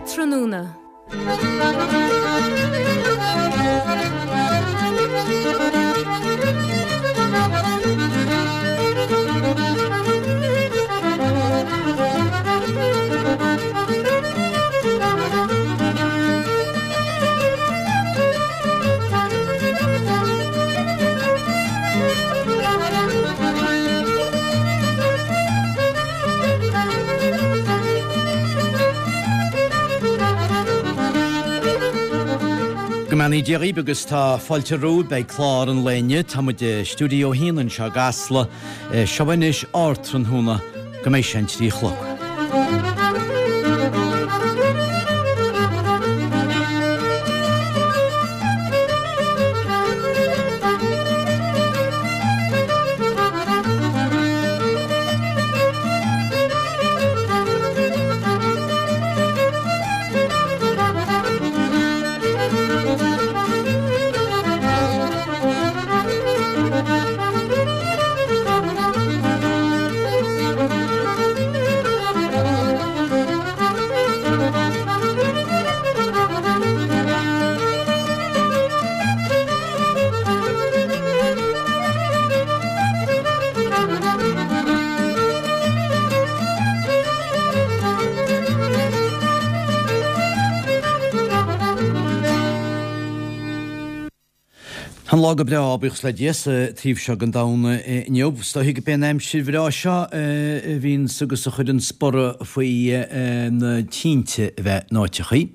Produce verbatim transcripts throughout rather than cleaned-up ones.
Ardtráthnóna. Go mbeannaí Dia dhaoibh agus tá fáilte romhaibh beidh clár an lae inniu. Tá muid i stiúideo a haon anseo i gCasla. Seo anois Ardtráthnóna go mbeidh sé an trí a chlog. Tá an lá go breá, buíochas le Dia, sa taobh seo den domhan inniu. Is dóiche gurb é an aimsir bhreá seo a bhíonns agus a chuireanns borradh faoi na tinte a bheith in áiteachaí.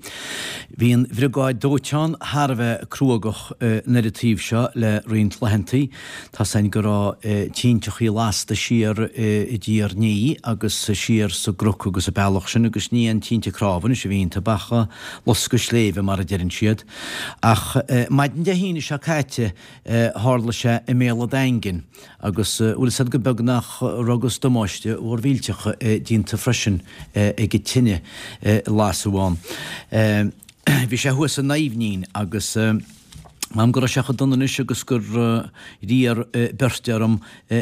Bhí an bhriogáid dóiteáin thar a bheith cruógach ar an taobh seo le roinnt laethantaí. Tá's a'inn go raibh tinteachaí lasta siar i dTír Ní agus siar sa gCnoc agus an bealach sin agus ní aon tinte cnámha anois a bhí iontu ach loscadh sléibhe mar a deireann siad. Ach maidin Dé hAoine seo caite tharla sé i mBéal an Daingin agus bhfuil fhios a'd go beag nach raibh agus damáiste mhór mhillteach déanta freisin ag an tine a lasadh ann. Bhí sé thuas san Aibhnín agus m'anam go raibh sé chomh dona anois agus gur d'iarr beirt orm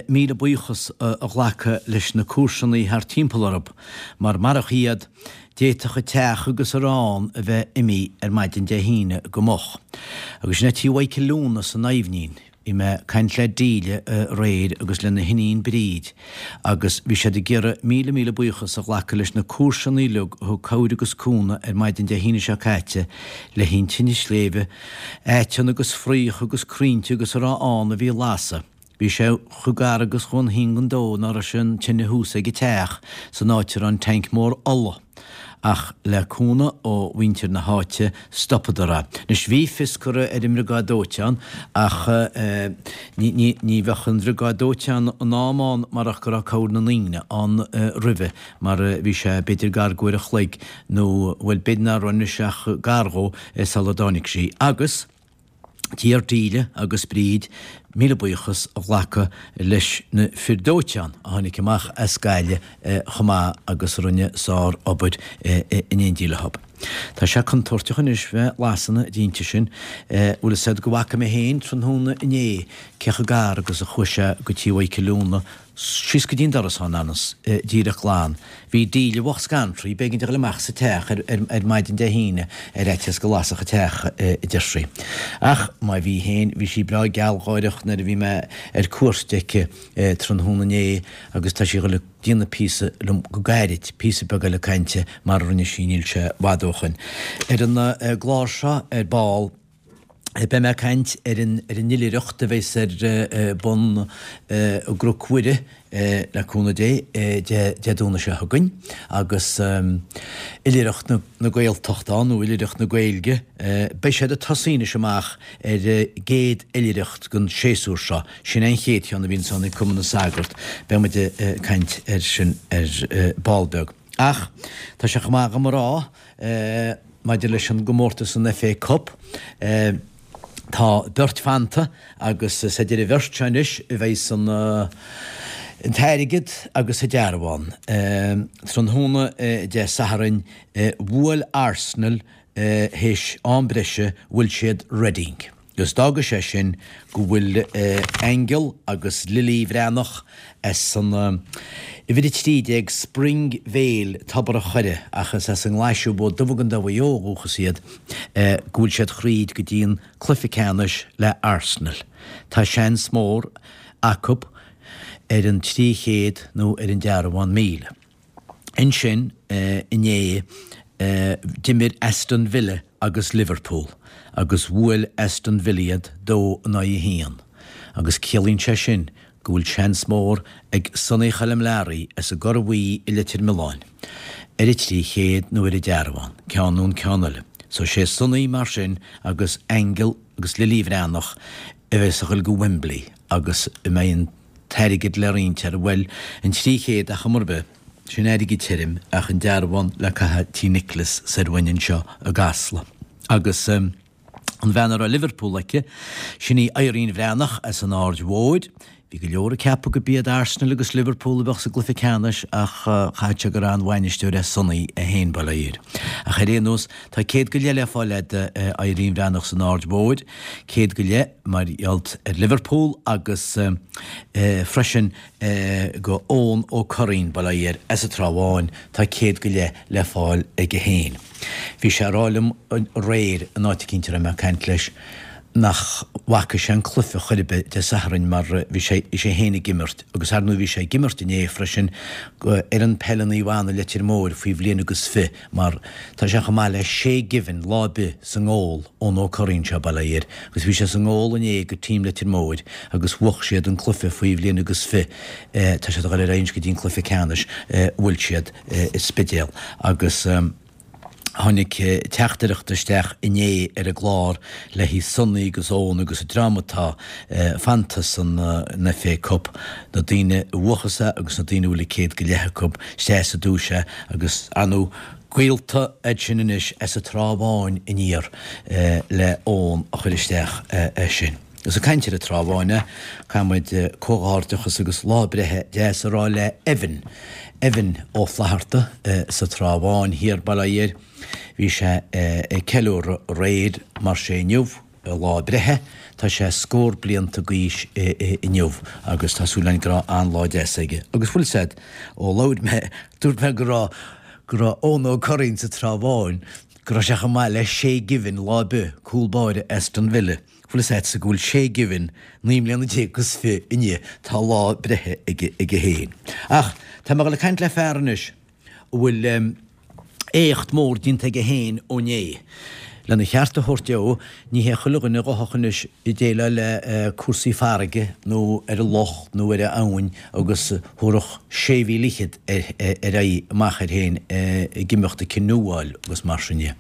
míle buíochas a ghlacadh leis na comharsanaí thart timpeall orthu mar marach iad D'fhéadfadh an teach agus a raibh ann a bheith imithe ar maidin Dé hAoine go moch. Agus sin é tí Mhichael Lúna san Aibhnín. Bhí mé ag caint le Delia aréir agus lena hiníon Bríd agus bhí siad ag iarraidh míle míle buíochas a ghlacadh leis na comharsanaí uilig a thug cabhair agus cúnamh ar maidin Dé hAoine seo caite le an tine sléibhe, aiteann agus fraoch agus crainnte agus a raibh ann a bhí ag lasadh. Bhí sé chomh gar agus chomh an phingin dó ná raibh sé an tine thuas ag an teach san áit a raibh an tanc mór ola. Ach le cúnamh ó mhuintir na háite stopadar é. Anois bhí fios curtha ar an mbriogáid dóiteáin ach ní ní ní bheadh an bhriogáid dóiteáin in am ann marach go raibh cabhair na ndaoine ann roimhe mar bhí sé b'fhéidir gar d'uair a chloig nó bhuel b'fhéidir ná raibh anois ach gar dhó sula dtáinig sí. Agus. D'iarr Delia agus Bríd míle buíochas a ghlacadh leis na fir dóiteáin a tháinig amach as Gaillimh chomh maith agus a rinne sár-obair in éindí leo. Tá sé contúirteach anois bheith ag lasadh na dtinte sin. Bhfuil fhios a'd go bhfaca mé féin tráthnóna inné cé chomh gar agus a chuaigh sé go tí Mhichael Lúna Síos go dtí an doras ann anas, díreach glan. Bhí Delia bhocht scanraithe, b'éigean di a dhul amach as an teach ar maidin Dé hAoine ar fhaitíos go lasfadh an teach, a deir sí. Ach má bhí féin, bhí sí breá gealgháireach nuair a bhí mé ar cuairt aici tráthnóna inné agus tá sí a dhul ag déanamh píosa liom go gairid, píosa beag eile cainte mar a rinne sí níl sé i bhfad ó shoin. Ar an gclár seo ar ball, Beidh mé ag caint ar an ar an oilithreacht a bheas ar bun i gCnoc Mhuire, le cúnamh Dé, Dé Domhnaigh seo chugainn, agus Oilithreacht na Gaeltachta ann, nó Oilithreacht na Gaeilge. Beidh siad ag tosaí anois amach ar an gcéad oilithreacht den séasúr seo. Sin é an chéad cheann a bhíonns ann ag Cumann na Sagart. Beidh muid ag caint air sin ar ball beag. Ach tá sé chomh maith agam a rá, Maidir leis an gcomórtas an FA Cup, tá beirt fanta agus is idir an bheirt seo anois a bheidhs an t-airgead agus an dearbhán. Tráthnóna Dé Sathairn, bhuail Arsenal théis am breise, bhuail siad Reading. Agus d'fhága sé sin go bhfuil Aingeal agus Lily Bhreathnach as an uimhir a trí déag Spring Vale, Tobar a' Choire, ach is as an nGlaise Bó Dubh i gContae Mhaigh Eo ó dhúchas iad, go bhfuil siad thríd go dtí an cluiche ceannais le Arsenal. Tá seans mór acu ar an trí chéad nó ar an dearbhán míle. Ansin inné d'imir Aston Villa agus Liverpool agus bhuail Aston Villa iad dó in aghaidh a haon agus ciallaíonn sé sin go bhfuil seans mór ag Sonny Choilm Learaí as an gCorr Bhuí i Leitir Mealláin ar an trí chéad nó ar an dearbhán, ceann nó an ceann eile. So sé Sonny mar sin agus Aingeal agus Lily Bhreathnach a bheas ag dul go Wembley agus a mbeidh an t-airgead le roinnt air, bhuel, an trí chéad ar chuma ar bith, sin airgead tirim ach an dearbhán le caitheamh Tí Nicholas soir uainn anseo i gCasla. Agus an bhean a raibh Liverpool aici, sin í Irene Bhreathnach as an Aird Mhóir. Bhí go leor ag ceapadh go b'iad Arsenal agus Liverpool a bheadh sa gcluiche ceannais ach chaithfeadh sé gur an-bhainisteoir é Sonny é féin, bail ó Dhia air. Ach ar aon nós, tá céad go leith le fáil a'd Irene Bhreathnach san Aird Mhóir, céad go leith mar gheall ar Liverpool agus freisin go Eoin Ó Curraoin, bail ó Dhia air, as an Trá Bháin, tá céad go leith le fáil aige féin. Bhí sé ag rá liom aréir in áit eicínt a raibh mé ag caint leis, nach bhfaca sé an cluiche chor ar bith Dé Sathairn mar bhí sé bhí sé féin ag imirt agus ar ndóigh bhí sé ag imirt inné freisin ar an peil i Naomh Anna Leitir Móir faoi bhliain agus fiche mar tá sé chomh maith le Shay Given lá ar bith sa ngól Eoin Ó Curraoin seo bail ó Dhia air agus bhí sé sa ngól inné go team Leitir Móir agus bhuaigh siad an cluiche faoi bhliain agus fiche tá siad ag dul ar aghaidh go dtí an cluiche ceannais bhuail siad an Spidéal agus Tháinig teachtaireacht isteach inné ar an gclár le haghaidh Sonny agus Eoin agus an dream atá fanta san FA Cup, na daoine a bhuachas é agus na daoine a bhfuil an céad go leith acu isteach sa duais é agus ar ndóigh gaolta iad sin anois as an Trá Bháin aniar le Eoin a chuir isteach é sin. Agus ag caint ar an Trá Bháin, caithfidh muid comhghairdeachas agus lá breithe deas a rá le Evan, Evan Ó Flatharta sa Trá Bháin thiar, bail ó Dhia air. Bhí sé ag ceiliúradh aréir mar sé inniu a lá breithe. Tá sé scór blianta d'aois inniu agus tá súil againn go raibh an-lá deas aige. Agus bhfuil 'fhios a'd, ó labhair mé, dúirt mé go raibh, go raibh Eoin Ó Curraoin sa Trá Bháin, go raibh sé chomh maith le Shay Given lá ar bith, cúl báire Aston Villa. Bhfuil 'fhios a'dsa go bhfuil Shay Given naoi mbliana déag agus fiche inniu, tá lá breithe aige aige féin. Ach tá mé ag dul ag caint le fear anois a bhfuil éacht mór déanta aige féin ó inné. Lena cheart a thabhairt dó, ní hé chuile dhuine a ghabhfadh anois ag déileáil le cúrsaí farraige nó ar an loch nó ar an abhainn agus thabharfadh sé mhíle fhichead ar aghaidh amach air féin ag imeacht ag canoeáil agus mar sin dhe.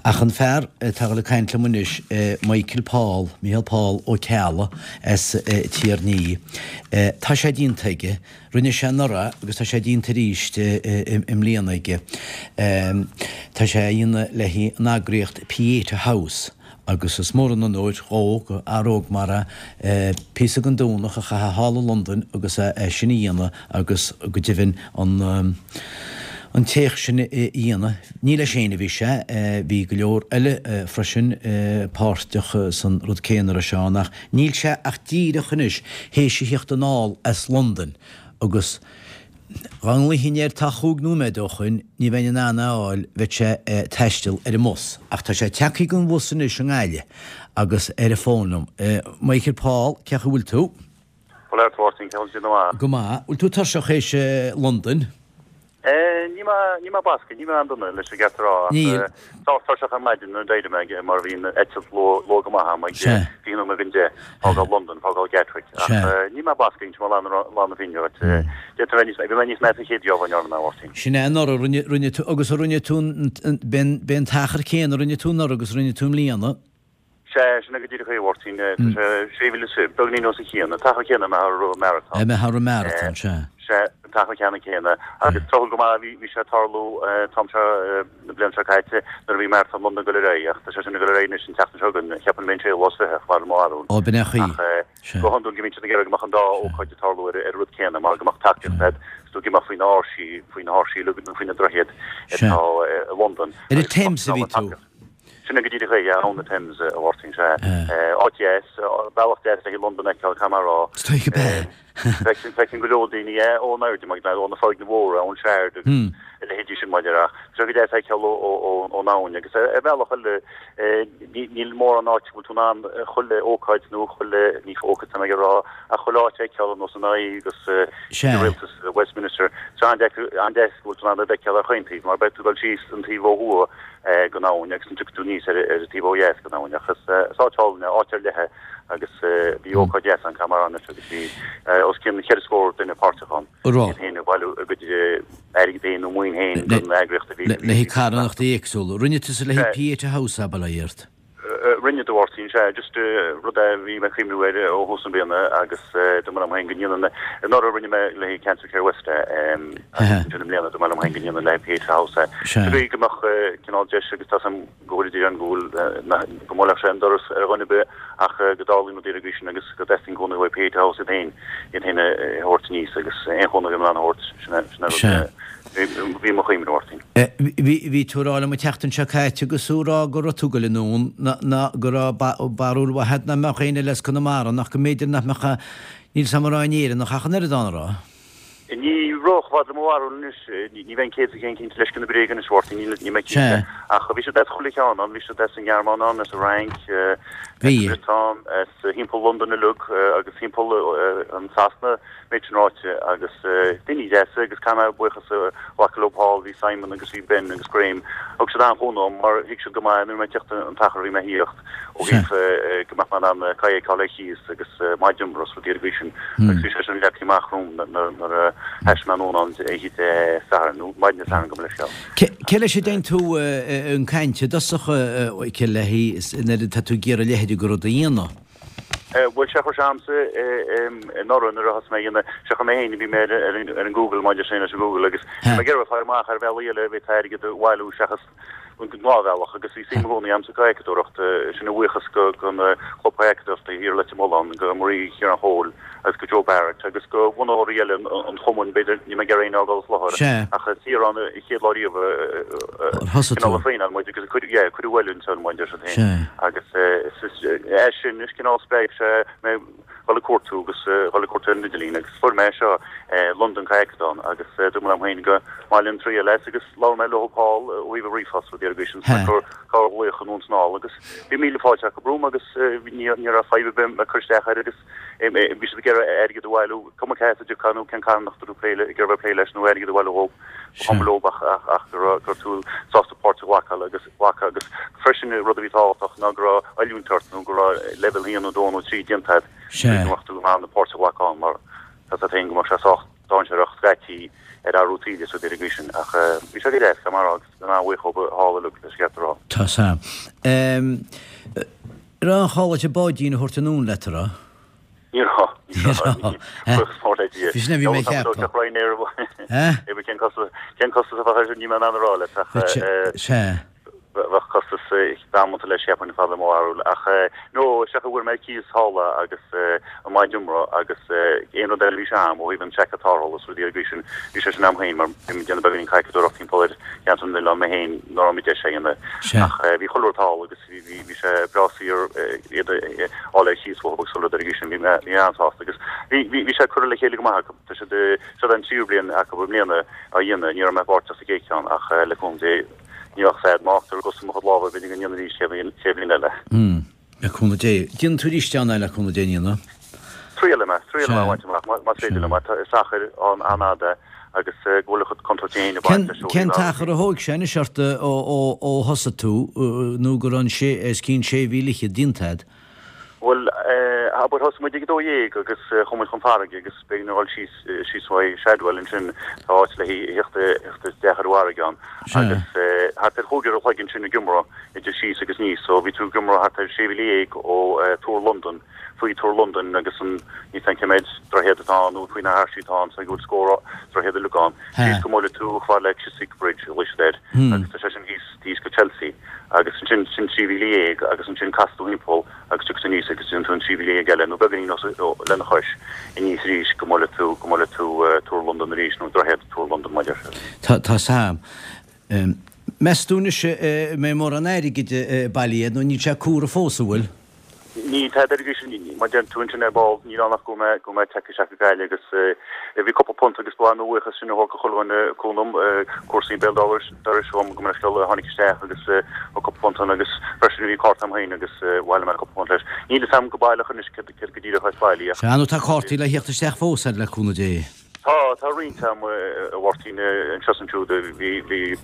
Ach an fear atá ag dul ag caint liom anois, Michael Paul, Micheál Paul Ó Ceallaigh as Tír an Fhia, tá sé déanta aige, rinne sé anuraidh agus tá sé déanta arís i mbliana aige. Tá sé á dhéanamh le haghaidh an eagraíocht Pieta House agus is mór an onóir dhó, go fhear óg mar é, píosa den Domhnach a chaitheamh thall i Londain agus é sin a dhéanamh agus go deimhin an an t-éacht sin a dhéanamh. Ní leis féin a bhí sé, bhí go leor eile freisin páirteach san rud céanna a Sheáin ach níl sé ach díreach anois théis a theacht anall as Londain agus Dá nglaofainn air tá chúig nóiméad ó shoin, ní bheinn in ann é a fháil, bheadh sé ag taisteal ar an mbus. Ach tá sé tagtha den bhus anois i nGaillimh agus ar an bhfón liom. Michael Paul, cén chaoi a bhfuil tú? Bhuel, a Mháirtín, cén chaoi a bhfuil? Go maith. Bhfuil tú tuirseach théis Londain? Níl mé, níl mé basctha, níl mé an-dona leis an gceart a rá, ach sách tuirseach ar maidin nuair a d'éirigh mé mar bhí an eitilt luath, luath go maith agam ag fiche nóiméad don deich, fágáil Londain, fágáil Gatwick, ach níl mé basctha, inseoidh mé lán, lán na fírinne dhuit. D'fhéadfadh a bheith níos, bhí mé níos measa an chéad gheábh a ndearna mé, a Mháirtín. Sin é anuraidh, rinne, rinne tú, agus a rinne tú, b'é an t-achar céanna a rinne tú anuraidh agus a rinne tú i mbliana. Sea, sin é go díreach é, a Mháirtín. Tá sé sé mhíle is fiche, beagainín os a chionn. An t-achar céanna a mbeifeá rith maratón. A mbeifeá rith maratón, sea. Sea, an t-achar ceannann céanna. Agus tráthúil go maith, bhí, bhí sé ag tarlú an t-am seo na bliana seo caite nuair a bhí Maratón Londain ag dul ar aghaidh, ach tá sé sin ag dul ar aghaidh anois an tseachtain seo chugainn, cheapfainn b'é an séú lá is fiche, mar mo bharúil. Ó, b'in é an chaoi. Ach go hiondúil go mbíonn siad ag iarraidh go mbeadh an dá ócáid ag tarlú ar an rud céanna mar go mbeadh tacaíocht agat is tú ag imeacht faoi na áirsí, faoi na háirsí, faoi na droichid atá i Londain. Ar an Thames a bhí tú? Sin go díreach é, abhainn na Thames, a Mháirtín, sea. Áit dheas, bealach deas le Londain a fheiceáil, caithfidh mé a rá. Is dóigh gurb ea. Feiceann go leor daoine é ón airde, mar ó na foirgnimh mhóra, ón Shard agus a leithéidí sin, mar a déarfá. Tá sé go deas a fheiceáil ón abhainn agus ar bhealach eile níl mórán áit go bhfuil tú in ann chuile ócáid nó chuile, ní ócáid tá mé ag rá, ach chuile áit a fheiceáil ar nós an Eye agus Rialtas Westminster. Tá sé an-deas go bhfuil tú in ann iad a fheiceáil ar chaon taobh mar beidh tú ag dul síos an taobh ó thuaidh den abhainn agus an tiocfaidh tú aníos ar an taobh ó dheas den abhainn ach is áit álainn é, áit ar leith é agus bhí ócáid dheas ann caithfidh mé a rá anois agus bhí os cionn cheithre scór duine páirteach ann, iad féin ag bailiú a gcuid airgid féin nó maoin féin don eagraíocht a bhí. Le haghaidh carthanachtaí éagsúla. Rinne tusa le haghaidh Pieta House ab ea, Art? Rinne a Mháirtín, sea, just rud a bhí mé ag cuimhniú air ó thús na bliana agus dúirt mé liom féin go ndéanfainn, anuraidh rinne mé le haghaidh Cancer Care West é agus ansin i mbliana dúirt mé liom féin go ndéanfainn le haghaidh Pieta House é. Sa gcaoi go mbeadh cineál deis agus tá 's agam go bhfuil idir an go bhfuil go mbuailfeadh sé an doras ar dhuine ar bith ach go dtarlaíonn rudaí ar an gcaoi sin agus go dteastaíonn cúnamh uaidh Pieta House iad féin iad féin a thabhairt aníos agus aon chúnamh a bhí in ann a thabhairt sin é sin é rud Bhí mo chuimhne, a Mháirtín. Bhí tú ag rá liom an tseachtain seo caite agus tú ag rá go raibh tú ag goil anonn ná go raibh barúil mhaith agat nach mbeadh éinne eile as Conamara nach go mb'fhéidir nach mbeadh níl 's agam an raibh aon Éireannach ach an oiread ann, an raibh? Ní raibh, chomh fada le mo bharúil anois, ní bheinn céad faoin gcéad cinnte leis na bréaga anois, a Mháirtín, níl mé cinnte. Ach bhí siad as chuile cheann ann, bhí siad as an nGearmáin ann, as an Fhrainc, as an Bhriotáin, as thimpeall Londain uilig agus thimpeall an Sasana. Méid sin ráite, agus daoine deasa agus caithfidh mé buíochas a ghlacadh leo thall, bhí Simon agus bhí Ben agus Graham, thug siad an-chúnamh dom mar thuig siad go maith nuair a bhí mé ag tíocht an t-achar a bhí mé a thíocht ó thaobh go mbeadh mé in ann cae a fheiceáil ar chíos agus maigh iomras rudaí ar an gcaoi sin agus bhí sé sin leagtha amach romham nuair a thaistil mé anonn ann oíche Dé Sathairn nó maidin Dé Sathairn gabh mo leithscéal. Cé leis a dteann tú an caint i dtosach, cé léi nuair atá tú ag iarraidh a leithéid de rud a dhéanamh? Bhuel, sé a chuir sé a'msa anuraidh nuair a thosaigh mé a dhéanamh, sé chuir mé féin, bhí mé ar an Google, maidir sin leis an Google agus bhí mé ag iarraidh fáil amach ar bhealaí eile a bhféadfá airgead a bhailiú seachas an gnáthbhealach agus bhí suim i gcónaí a'msa sa chadhacadóireacht, sin a bhuíochas go don chlub cadhacadóireachta thiar i Leitir Mealláin, go Marie Chiaráin Chóil agus go Joe Barrett agus go bhunaitheoirí eile an chumainn, b'fhéidir, níl mé ag iarraidh éinne a fhágáil as láthair ach Ciarán an chéad lá riamh a cineál a thraenáil muid agus a cuireadh oiliúint ar muid ar siad féin agus é sin is cineál spreag sé mé dhul ag cuartú agus dhul ag cuartú ar an idirlíon agus fuair mé seo London Kayakathon agus dúirt mé liom féin go mba mhaith liom triail as agus labhair mé leo thall ó thaobh an ríomhphost rudaí ar an gcaoi sin gur corrghlaoch anonn is anall agus bhí míle fáilte acu romham agus ní raibh fadhb ar bith ag cur isteach air agus bhí siad ag iarraidh airgead a bhailiú, cuma cé as a dtiocfá nó cén carthanacht a raibh tú ag iarraidh bheith ag plé leis nó airgead a bhailiú dhóibh, ba chuma leo ach ach go raibh go raibh tú sásta páirt a ghlacadh agus ghlacadh agus freisin rud a bhí tábhachtach ná go raibh oiliúint ort nó go raibh leibhéal haon nó dó nó trí déanta agat go mbeadh tú in ann páirt a ghlacadh ann mar tá a fhios agat féin go mbeadh sé sách dainséarach scaití ar athrú taoille is rudaí ar an gcaoi sin ach bhí sé go deas, caithfidh mé a rá agus an-bhuíoch dhóibh thall uilig leis an gceart a rá. Tá a fhios a'm. Raibh aon chall duit an báidín a thabhairt anonn leat, a raibh? Ní raibh. Ní raibh. Buíochas mór le Dia. Bhí sin a bhí mé a cheapadh. Ryanair. Cén costas cén costas a bheadh air sin níl mé in ann a rá leat ach Sea. bheadh costas damanta leis cheapfainn fad le mo bharúil ach no is ea go bhfuair mé cíos thall agus an bád iomra agus aon rud eile a bhí sé a'm ó thaobh an seaicéad tarrthála is rudaí ar an gcaoi sin bhí sé sin a'm féin mar bhí mé ag déanamh beagáinín cadhcadóireacht timpeall ar cheantar na n-oileán mé féin nuair a raibh mé deis a dhéanamh ach bhí chuile rud thall agus Bhí bhí sé breá saor iad a fháil ar chíos uathu agus chuile rud ar an gcaoi sin. Bhí mé bhí mé an-sásta agus bhí bhí bhí sé curtha le chéile go maith acu. Tá siad seo an tríú bliain acu i mbliana á dhéanamh. Ní raibh mé páirteach sa gcéad cheann ach le cúnamh Dé ní bheadh fad má fhágtar i gcosa mo chuid lámha b'fhéidir go ndéanfainn arís sé bhliain sé bhliain eile. Mm. Le cúnamh Dé. Déanfaidh tú arís ann é le cúnamh Dé, an ndéanfaidh? Triailfidh mé, triailfidh mé a bhaint amach más féidir liom. Is achar an-fhada agus go bhfuil a chuid contúirtí féin ag baint leis ó Cén t-achar a thóig sé anois ort ó thosaigh tú nó go raibh an sé os cionn sé mhíle fhichead déanta agat? Bhuel, abair thosaigh muid ag a dó dhéag agus chuaigh muid chun farraige agus b'éigean a dhul síos síos uaidh Shadwell ansin tá áit le theacht isteach ar an bhfarraige ann agus thart ar chúig uair a chloig ansin ag iomramh idir síos agus aníos so bhí tú ag iomramh thart ar sé mhíle dhéag ó Túr Londan faoi Túr Londain agus an, níl 's a'm cé méid droichead atá ann nó faoi na hairsí atá ann so go bhfuil scór droichead uilig ann. Síos go mbuailfidh tú chomh fada le Chiswick Bridge a ghlaoigh siad air agus tá sé sin thíos, thíos go Chelsea agus ansin sin trí mhíle dhéag agus ansin casfaidh tú thimpeall agus tiocfaidh tú aníos agus déanfaidh tú an trí mhíle dhéag eile nó beagáinín os, lena chois aníos arís go mbuailfidh tú, go mbuailfidh tú Túr Londain arís nó droichead Túr Londain mar a deir siad. Tá, tá 's a'm. Meas tú anois an mbeidh mórán airgid bailithe nó níl sé curtha fós, an bhfuil? Níl tada ar aghaidh sin, mar deir tú ansin ar ball, níl ann ach go mbeidh go mbeidh tagtha isteach go Gaillimh agus bhí cúpla punt agus ba mhaith mo bhuíochas sin a thabhairt go chuile dhuine cúnamh, comharsaí béal dorais dhom go mbeidh scoil a tháinig isteach agus thug cúpla punt ann agus freisin bhí cárta agam féin agus bhailigh mé cúpla punt leis. Níl fhios agam go baileach anois céard go díreach atá bailithe ach. Sea, nó tá cártaí le theacht isteach fós ar le cúnamh Dé. Tá, tá roinnt agam, a Mháirtín, anseo is ansiúd. Bhí, bhí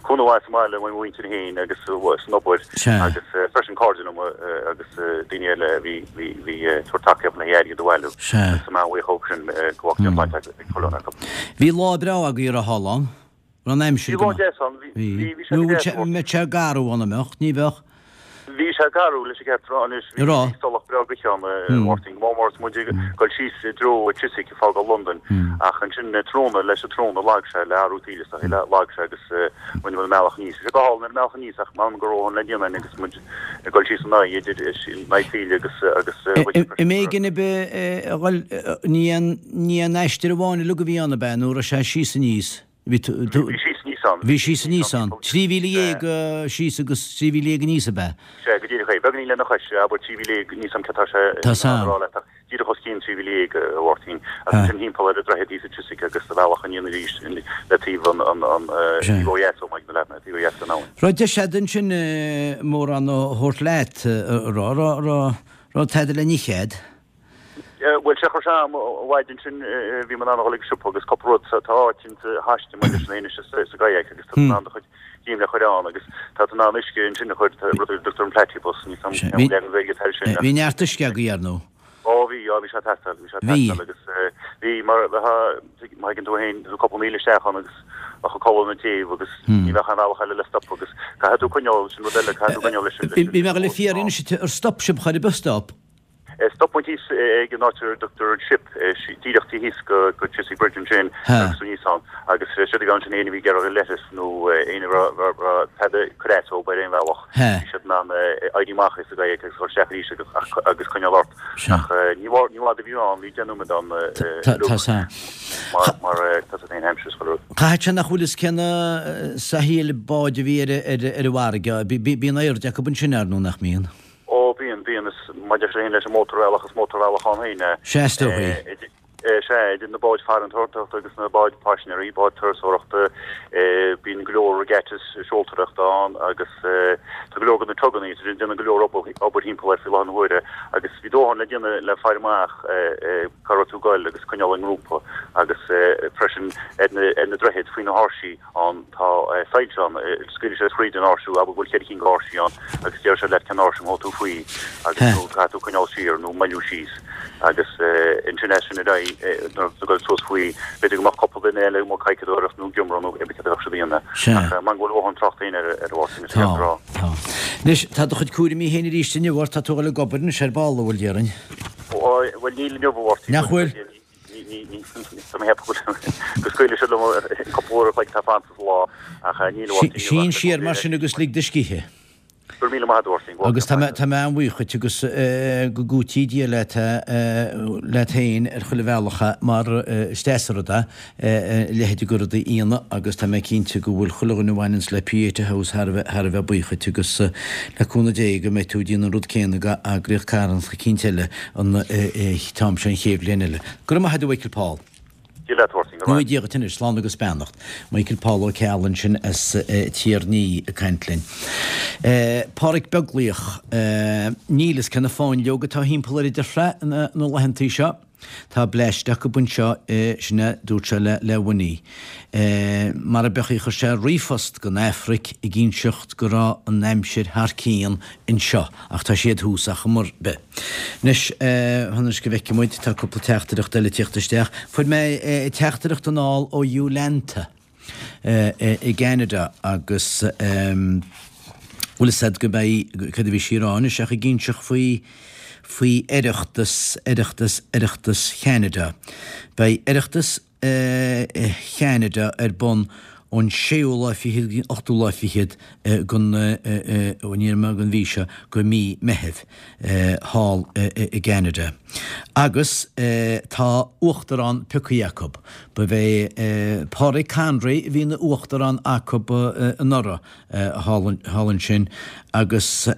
cúnamh mhaith sa mbaile ó mo mhuintir féin agus san obair agus freisin cairde liom agus daoine eile a bhí, bhí, bhí ag tabhairt tacaíocht le airgead a bhailiú. Agus tá mé an-bhuíoch dhóibh sin go bhfágfaidh an bhaint ag chuile dhuine acu. Bhí lá breá agaibh ar thall ann. Raibh an aimsir go maith. Bhí lá deas ann, bhí, bhí, bhí sé go deas. Nó mbeadh sé garbh ann, an mbeadh? Ní bheadh. Bhí sé garbh leis an gceart a rá anois, bhí salach breá gaoithe ann, a Mháirtín, go mór mór is muid ag dul síos i dtreo Chiswick ag fágáil Londain ach ansin tráthnóna leis an tráthnóna lag sé le athrú taoille is dóichí, lag sé agus rinne muid an bealach aníos. Bhí sé go hálainn ar an mbealach aníos ach m'anam go raibh a dhóthain le déanamh againn agus muid ag dul síos in aghaidh idir in aghaidh taoille agus agus gaoithe freisin. Am éigin a bheith a dhul, ní aon ní aon aistear amháin uilig a bhí ann ab ea nó raibh sé síos aníos? Bhí síos aníos ann. Bhí síos aníos ann. Trí mhíle dhéag síos agus trí mhíle dhéag aníos ab ea? Sea, go díreach é. Beagáinín lena chois, abair trí mhíle dhéag, níl 'fhios a'm céard tá sé in ann a rá leat ach díreach os cionn trí mhíle dhéag, a Mháirtín. Agus ansin thimpeall ar an droichead thíos i Chiswick agus sa bhealach aniar arís le taobh an taobh ó dheas ó Mhaigh na Leathna, taobh ó dheas den abhainn. Raibh deis a'd ansin mórán a thabhairt leat, a raibh, raibh, raibh tada le n-ithe a'd? Bhuel, sé chuir sé am i bhfad ansin, bhí mé in ann a dhul ag siopa agus cúpla rud, tá áit insa haiste maidir leis an anois sa gkayak agus tá tú in ann do chuid gím le chur ann agus tá tú in ann uisce ansin a chur, rud a dtugtar an platypus, níl 'fhios a'm cén leagan Gaeilge atá air sin. Bhí neart uisce agaibh, ar ndóigh. Ó bhí, á bhí sé ag teastáil, bhí sé ag teastáil agus bhí mar bheifeá, má thuigeann tú féin, tá tú cúpla míle isteach ann agus bheadh an codladh ina taobh agus ní bheadh aon bhealach eile le stop agus caithfidh tú coinneáil, sin rud eile, caithfidh tú coinneáil leis an. Bhí mé ag dul a fiafraí anois, ar stop sibh chor ar bith stop? Stop muid thíos ag an áit ar a dtugtar an Ship, díreach taobh thíos go Chiswick Bridge ansin agus aníos ann agus siad a bhí ansin éinne a bhí ag iarraidh leithreas nó éinne a raibh tada ag cur as dóibh ar aon bhealach bhí siad in ann éirí amach as an gkayak agus dul isteach arís agus coinneáil ort. Ach ní i bhfad a bhí ann, bhí deich nóiméad ann mar mar tá siad féin aimsir is chuile rud. Caithfidh sé nach bhfuil fhios cén saghas báid a bhí ar an bhfarraige, bíonn airde acu ansin ar ndóigh nach mbíonn? Ó, bíonn, bíonn. Is maidir féin leis an mótarbhealach, is mótarbhealach ann féin é. Sea, is dóichí. Sea, idir na báid farantóireachta agus na báid paisinéirí, báid turasóireachta, bíonn go leor regattas seoltóireachta ann agus tá go leor de na tuganna, tá siad ag déanamh go leor obair thimpeall air faoi láthair na huaire agus bhí dóthain le déanamh le faire amach cá raibh tú ag goil agus coinneáil i ngrúpa agus freisin ar na droichid faoi na háirsí. ann. Tá soilse ann, scaoilfidh siad fríd an áirse, abair go bhfuil ceithre cinn d'áirsí ann agus déarfaidh siad leat cén áirse a mbeidh tú faoi agus nó caithfidh tú coinneáil siar nó moilliú síos agus ansin as sin ar aghaidh nuair atá tú ag dul suas faoi b'fhéidir go mbeadh cúpla duine eile amuigh ag cadhcadóireacht nó ag iomramh nó cibé céard a bheadh siad a dhéanamh ach mar go bhfuil a dhóthain tráchta féin ar ar Mháirtín is ceart a rá. Tá. Anois, tá do chuid cúraimí féin arís inniu ort, tá tú ag dul ag obair anois ar ball, an bhfuil, déarfainn? Bhuel, níl inniu, a Mháirtín. Nach bhfuil? Tá mé ag ceapadh go scaoilfidh siad liom cúpla uair a chloig atá fanta sa lá ach níl a Sín siar mar sin agus lig do scíth. Go raibh míle maith agat, a Mháirtín. Agus tá mé tá mé an-bhuíoch dhuit agus go gcúití Dia leat leat féin ar chuile bhealach mar is deas an rud é a leithéid de rud a dhéanamh agus tá mé cinnte go bhfuil chuile dhuine a bhaineanns le Pieta House thar a bheith thar a bheith buíoch dhuit agus le cúnamh Dé go mbeidh tú ag déanamh an rud céanna do eagraíocht carthanach eicínt eile an t-am seo an chéad bhliain eile. Go raibh maith agat a Mhichael Paul. Dia leat a Mháirtín, go raibh. Dia dhuit anois, slán agus beannacht. Michael Paul Ó Ceallaigh ansin as Tír an Fhia ag caint linn. Páraic Beaglaoich, Níl fhios cé na fáinleoga atá thimpeall ar Idir Thrá na laethantaí seo. Tá bleaist acu anseo, sin é, dúirt sé le le Winnie. Mar a bheadh chuir sé ríomhphost gon Afraic ag inseacht go raibh an aimsir thar cionn anseo, ach tá siad thuas ar chuma ar bith. Anois, fan anois go bhfeicfidh muid, tá cúpla teachtaireacht eile ag tíocht isteach. Fuair mé teachtaireacht anall ó Yolanta i gCeanada agus bhfuil fhios a'd go mbeidh, cad a bhí sí a rá anois ach ag inseacht faoi, faoi Oireachtas, Oireachtas, Oireachtas Cheanada. Beidh Oireachtas Cheanada ar bun ón séú lá fichead go dtí an ochtú lá fichead den den mhí seo de mhí Meithimh thall i gCeanada. Agus tá uachtarán pioctha acu. Ba é Pádraig Conry a bhí ina uachtarán acu anuraidh thall ansin agus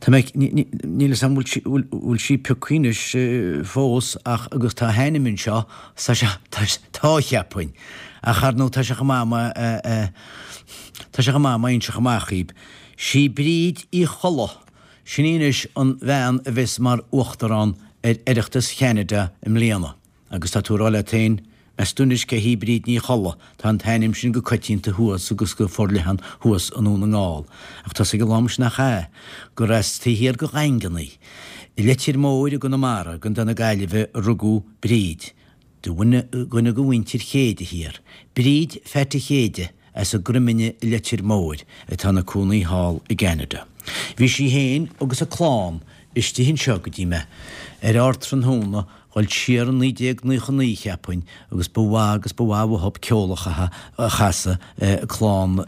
Tá mé, níl 'fhios a'm bhfuil sí pioctha anois fós ach agus tá a hainm anseo, tá sé, tá cheapfainn. Ach ar ndóigh tá sé chomh maith má, tá sé chomh maith má inseochaidh amach dhaoib. Sí Bríd Uí Cholla, sin í anois an bhean a bheas mar Uachtarán ar Oireachtas Cheanada i mbliana. Agus tá tú a rá leat féin, Meas tú anois cé hí Bríd Ní Cholla, tá an t-ainm sin go coitianta thuas agus go forleathan thuas i nDún na nGall. Ach tá 'fhios ag a lán muis nach ea, gur as taobh thiar go Dhaingean í. I Leitir Móir i gConamara, i gContae na Gaillimhe, a rugadh Bríd. Duine de mhuintir Chéide thiar. Bríd Pheaite Chéide as an gCroimine i Leitir Móir, atá ina cónaí thall i gCeanada. Bhí sí féin agus a clann istigh anseo go dtí mé ar ardtráthnóna dhul siar i naoi déag naocha naoi cheapfainn agus ba mhaith agus ba mhaith uathub ceol a chasadh clann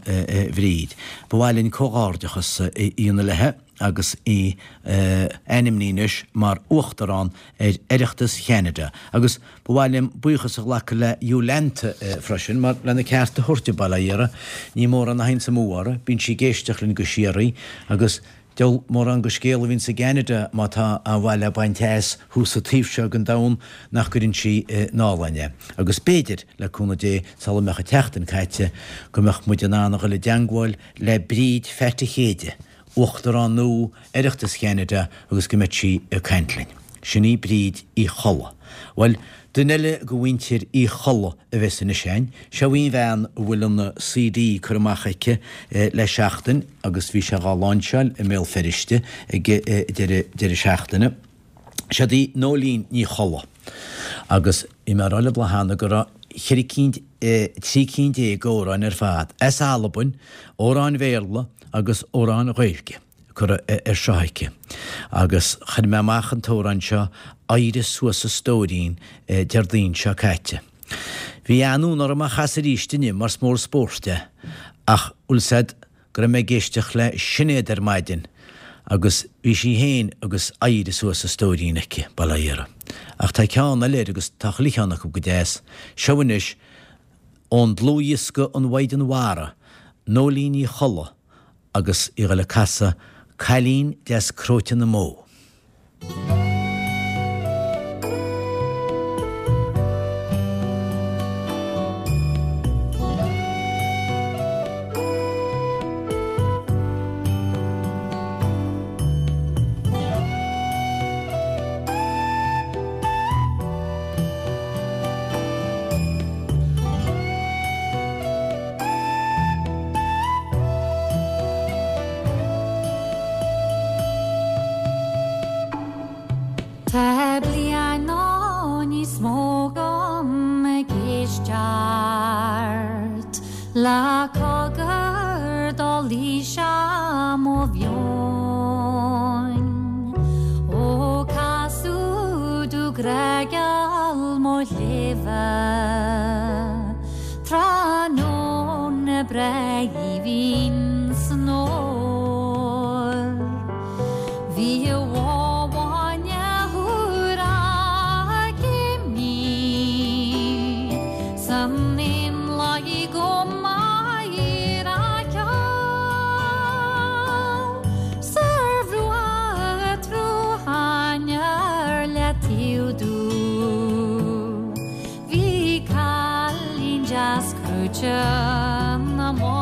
Bhríd. Ba mhaith linn comhghairdeachas a dhéanamh léithe agus í ainmnithe anois mar Uachtarán ar Oireachtas Cheanada agus ba mhaith liom buíochas a ghlacadh le Jolanta freisin mar lena ceart a thabhairt di, bail ó Dhia uirthi, ní mórán a théanns amú uirthi, bíonn sí ag éisteacht linn go síoraí agus Diabhal mórán go scéal a bhíonns i gCeanada má tá aon mhaith le baint as thuas sa taobh seo den domhan nach gcuireann sí anall againn é. Agus b'fhéidir, le cúnamh Dé, sula mbeadh an tseachtain caite, go mbeadh muid in ann a dhul i dteangmháil le Bríd Pheaite Chéide, Uachtarán nua Oireachtas Cheanada agus go mbeadh sí ag caint linn. Sin í Bríd Uí Cholla. Bhuel, duine eile go mhuintir Uí Cholla a bheas anois againn. Seo í an bhean a bhfuil an CD curtha amach aici le seachtain agus bhí sé dhá láinseáil i mBéal Feirste ag deireadh deireadh seachtaine. Seod í Nóinín Ní Cholla. Agus bhí mé ag rá libh lá cheana go raibh cheithre cinn, trí cinn déag d'amhráin ar fad as Albain, amhráin Bhéarla agus amhráin Ghaeilge. curtha air seo aici. Agus chuir mé amach an t-amhrán seo, Éirigh Suas a Stóirín, Déardaoin seo caite. Bhí an-fhonn orm é a chasadh arís inniu mar is mór spóirt é, ach bhfuil 's a'd go raibh mé ag éisteacht le Sinéad ar maidin agus bhí sí féin agus Éirigh Suas a Stóirín aici, bail ó Dhia uirthi. Ach tá ceann eile air agus tá chuile cheann acu go deas. Seo anois ón dlúthdhiosca An Mhaighdean Mhara, Nóinín Ní Cholla, agus í ag dul ag casadh Cailín Deas Cróite na mBó. Tá bliain nó níos mó agam ag éisteacht le cogar dá luigh sé mo mheon Ó casadh dubh grágeal mo chléibhe Tráthnóna breá aoibhinn san fhómhar Bhí a bhó bhainne úr ag imní San éanlaith go maith ar a ceol 'S ar bhruach an tsrutháin ar leataobh domh Bhí cailín deas crúite na mbó.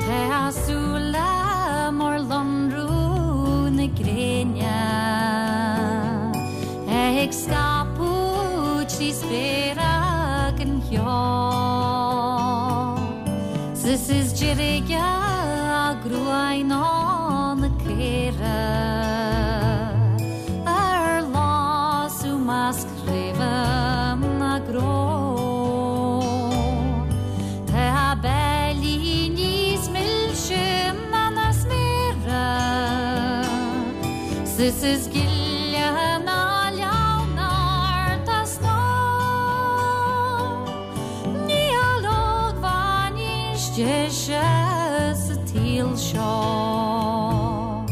Tá a súile mar lonradh na gréine ag scaipeadh trí spéir an cheo 'S is deirge a gruaig ná na caora ar lasadh i measc craobha na gcró. Tá a beilín níos milse ná na sméara 'S is gile deise sa tsaol seo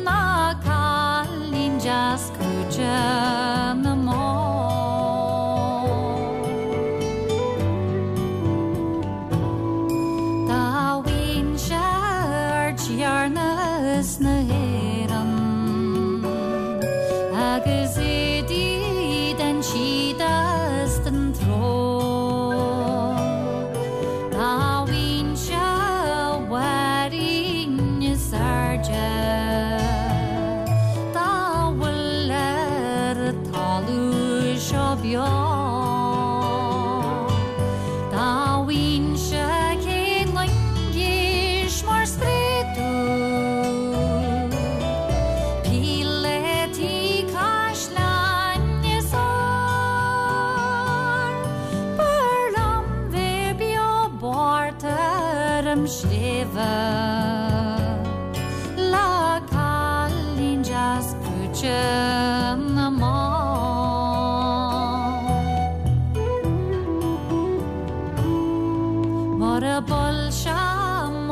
ná cailín deas crúite na mban. Dá bhfainnse ardtiarnas na hÉireann agus éadaí den síoda is den treo, dá bhfainnse bhfairín is airde dá bhfuil ar an talamh seo beo, dá bhfainnse céad loingis mar spré dúinn, píléataí caisleáin is ár, b'fhearr liom bheith beo bocht ar an sléibhe le cailín deas crúite na mban. Mura bhfuil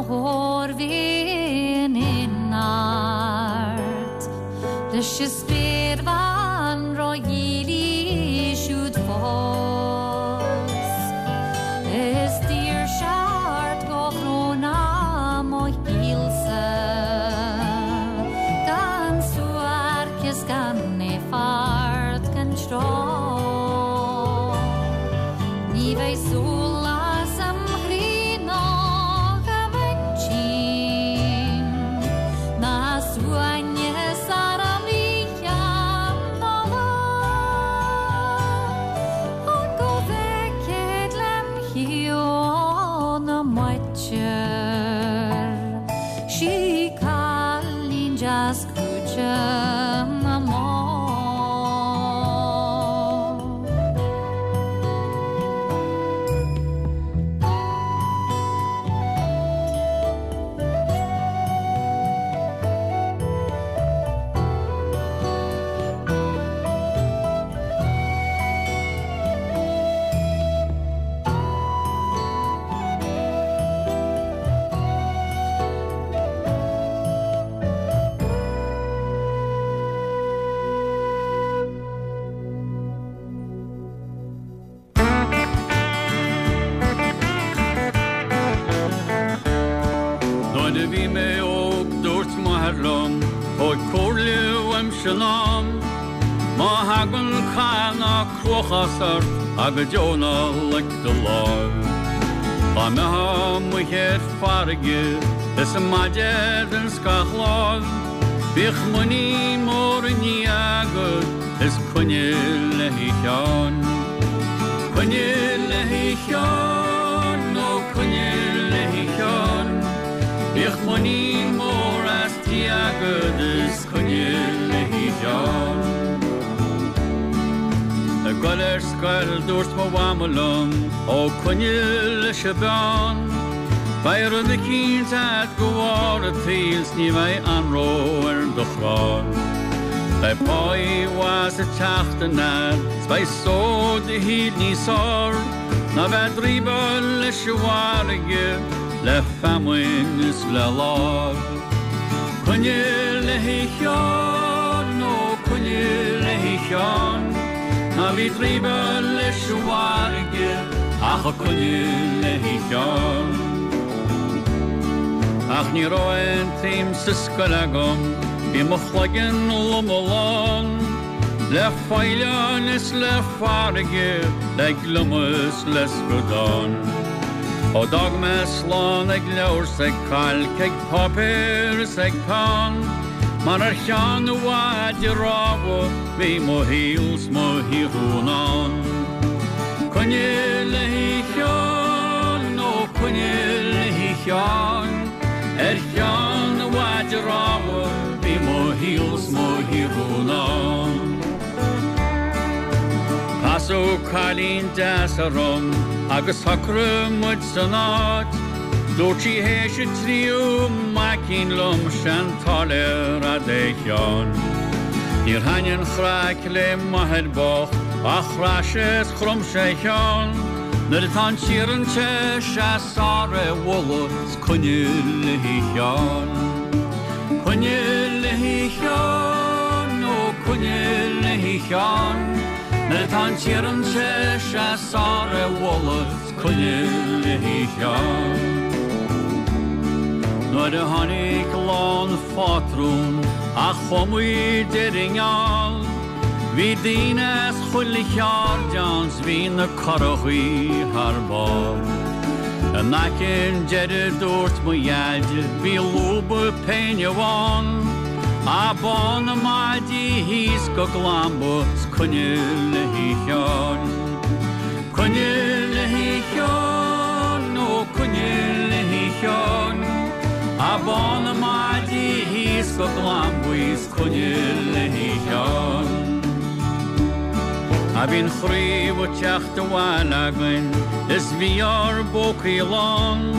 thóir bhíonn in art, leis an spéirbhean ródhílí siúd fós. Is daoirse ort go bhrón mo shaolsa, gan suairceas gan éifeacht gan treo. Ní bheidh solas am chroí ná am intinn, ná suaimhneas ar am oíche ná lá. Ach go bhfeicfead lem thaobh na maite, sí cailín deas crúite na mban. Nuair a bhí mé óg dúirt m'athair liom, Tóg comhairle uaimse in am, Má thagann cath ná cruachás ort ach go deo ná loic do lámh. Dá mbeifeá amuigh ar farraige is an maide ar an scáthlámh, Bíodh muinín mór i nDia agat is coinnigh le Sheán. Coinnigh le Sheán, ó coinnigh le Sheán, Bíodh muinín mór as Dia agat is coinnigh le Sheán. Ag dul ar scoil dúirt mo mhama liom, ó coinnigh leis an bpeann, Beidh rud eicínt agat go bharr an tsaoil 's ní bheidh anró ar do chrann. Beidh páí mhaith sa tseachtain agat, 's beidh só do shaoil níos fearr, ná bheith ag draoibeáil leis an bhfarraige le feamainn is le láib. Coinnigh le Sheán, ó coinnigh le Sheán, ná bí ag draoibeáil leis an bhfarraige ach coinnigh le Sheán. Ach ní raibh aon tsuim sa scoil agam, bhí mo chloigeann lom lán, le faoileáin is le farraige, le gliomach is le scadán. Ó d'fhág mé slán ag leabhar 's ag cailc ag páipéar is ag peann, mar ar cheann an mhaide rámha bhí mo shaol 's mo shaothrú in ann. Coinnigh le Sheán, ó coinnigh le Sheán, ar cheann an mhaide rámha bhí mo shaol 's mo shaothrú in ann. Casadh cailín deas orm agus shocraigh muid san áit, Dúirt sí théis an tríú maicín liom sean táilliúir a'd a Sheáin. Níor thaithin an chraic le m'athair bocht ach chraith sé 's chrom sé a cheann, Nuair atá an t-iarann te 's é is fearr é a bhualadh 's coinnle léi a Sheáin. Coinnle léi a Sheáin, ó coinnle léi a Sheáin. Nuair atá an t-iarann te 's é is fearr é a bhualadh 's coinnle léi a Sheáin. Nuair a tháinig lá an phátrúin a chuaigh muid ar an ngeall, Bhí daoine as chuile cheard ann 's bhí na currachaí thar barr. In aice an deiridh dúirt mo dhaid bhí lúba péine amháin, A bádh na maidí thíos go Glanba 's coinnle léi a Sheáin. Coinnle léi a Sheáin, ó coinnle léi a Sheáin. A bádh na maidí thíos go Glanba 's coinnle léi a Sheáin. A bhí an chraobh ag teacht abhaile againn is bhí ár bpócaí lán.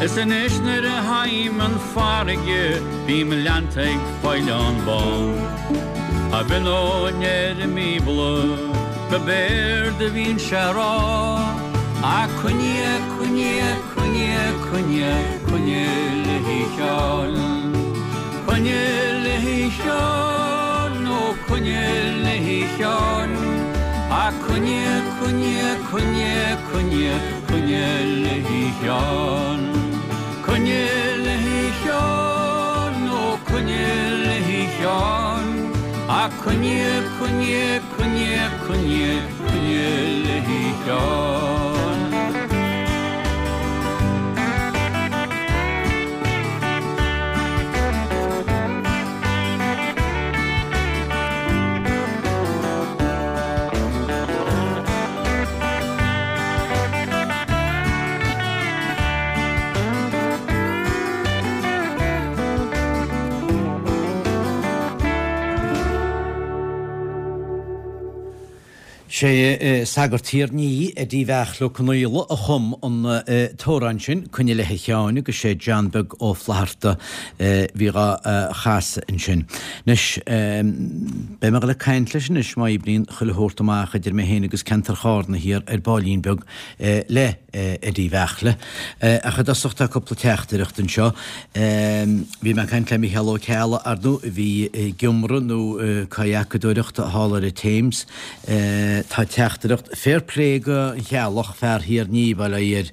Is anois nuair a théim an farraige bím leanta ag faoileán bán. A bhí ó ar an mBíobla go b'éard a bhíonn sé a rá. A coinnle, coinnle, coinnle, coinnle, coinnle léi a Sheáin. Coinnle léi a Sheáin, ó coinnle léi a Sheáin. A coinnle, coinnle, coinnle, coinnle, coinnle léi a Sheáin. Coinnle léi a Sheáin, ó coinnle léi a Sheáin. A coinnle, coinnle, coinnle, coinnle, coinnle léi a Sheáin. Sé sagart Thír an Fhia Eddie Bheartla Ó Conaola a chum an t-amhrán sin, Coinnle léi a Sheáin agus sé John Beag Ó Flatharta bhí dhá chasadh ansin. Anois beidh mé le caint leis anois má oibríonn chuile shórt amach idir mé féin agus ceantar Chárna thiar ar baillín beag le Eddie Bheartla. Ach i dtosach tá cúpla teachtaireacht anseo. Bhí mé ag caint le Mícheál Ó Ceallaigh ar ndóigh a bhí ag iomramh nó cadhacadóireacht thall ar an Thames. Tá teachtaireacht fair play go an Cheallach fear Thír an Fhia bail ó Dhia air.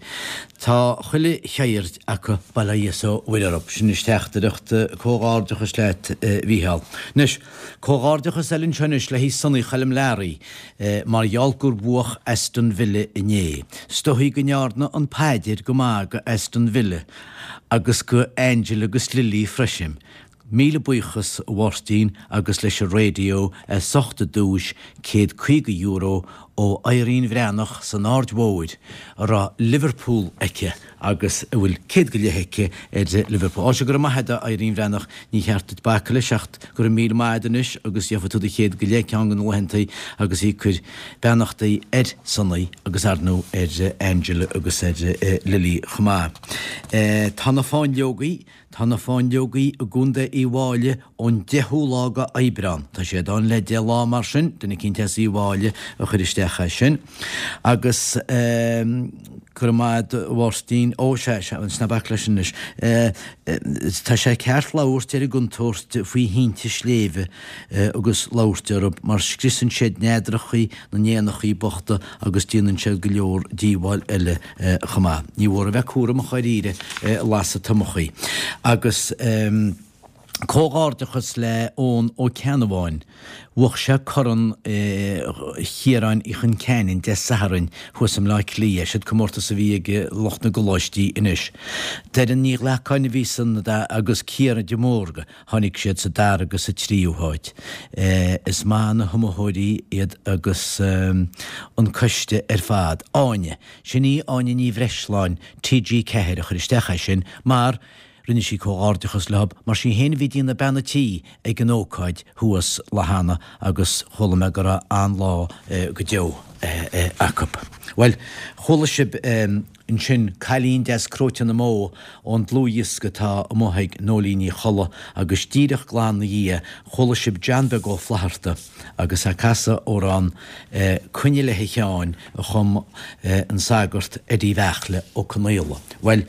Tá chuile cheird acu bail ó Dhia is ó Mhuire orthu. Sin is teachtaireacht comhghairdeachas leat Mhícheál. Anois, comhghairdeachas eile anseo anois le Sonaí Choilm Learaí, mar gheall gur bhuach Aston Villa inné. 'S dóichí go ndearna an paidir go maith go Aston Villa agus go Angel agus Lily freisin. Míle buíochas a Mháirtín agus leis an raidió as ucht an duais céad caoga euro ó Irene Bhreathnach san Aird Mhóir a raibh Liverpool aici agus a bhfuil céad go leith aici ar Liverpool. Á sé go raibh maith agat Irene Bhreathnach ní cheart duit bacadh leis ach go raibh míle maith agat anois agus gheobhaidh tú do chéad go leith ceann de na laethanta agus í ag cur beannachtaí ar Sonaí agus ar ndóigh ar Angela agus ar Lily chomh maith. Tá na fáinleogaí Tá na fáinleogaí i gContae Uíbh Fhailí ón deichiú lá go Aibreán. Tá siad ann le deich lá mar sin, duine eicínt as Uíbh Fhailí a chuir isteach é sin. Agus go raibh maith agat a Mháirtín, ó sea, sea, ná bac leis anois. Tá sé ceart labhairt ar an gcontúirt faoi thinte sléibhe agus labhairt orthu mar scriosann siad neadrachaí na n-éanachaí bochta agus déanann siad go leor díobháil eile chomh maith. Ní mhór a bheith cúramach dháiríre ag lasadh tomachaí. Agus comhghairdeachas le Eoin Ó Ceannabháin. Bhuach sé Corn Chiaráin Uí Chon Ceanainn Dé Sathairn thuas i mBleá Cliath. Siad comórtas a bhí ag lucht na gcoláistí anois. Doireann Ní Ghlacáin a bhí san agus Ciara de Mórdha, tháinig siad sa dara agus sa tríú háit. Is maith na hiomaitheoirí iad agus an coiste ar fad. Áine, sin í Áine Ní Bhreisleáin, T G ceathair a chuir isteach é sin mar Rinne sí comhghairdeachas leo mar sí féin a bhí ag déanamh bean an tí ag an ócáid thuas lá cheana agus chuala mé go raibh an-lá go deo acu. Bhuel, chuala sibh Ansin Cailín Deas Cróite na mBó ón dlúthdhiosca atá amuigh ag Nóilín Ní Cholla agus díreach glan 'na dhiaidh chuala sibh John Beag Ó Flatharta agus é ag casadh amhrán Coinnle a Sheáin a chum an sagart Eddie Bheartla Ó Conaola. Bhuel,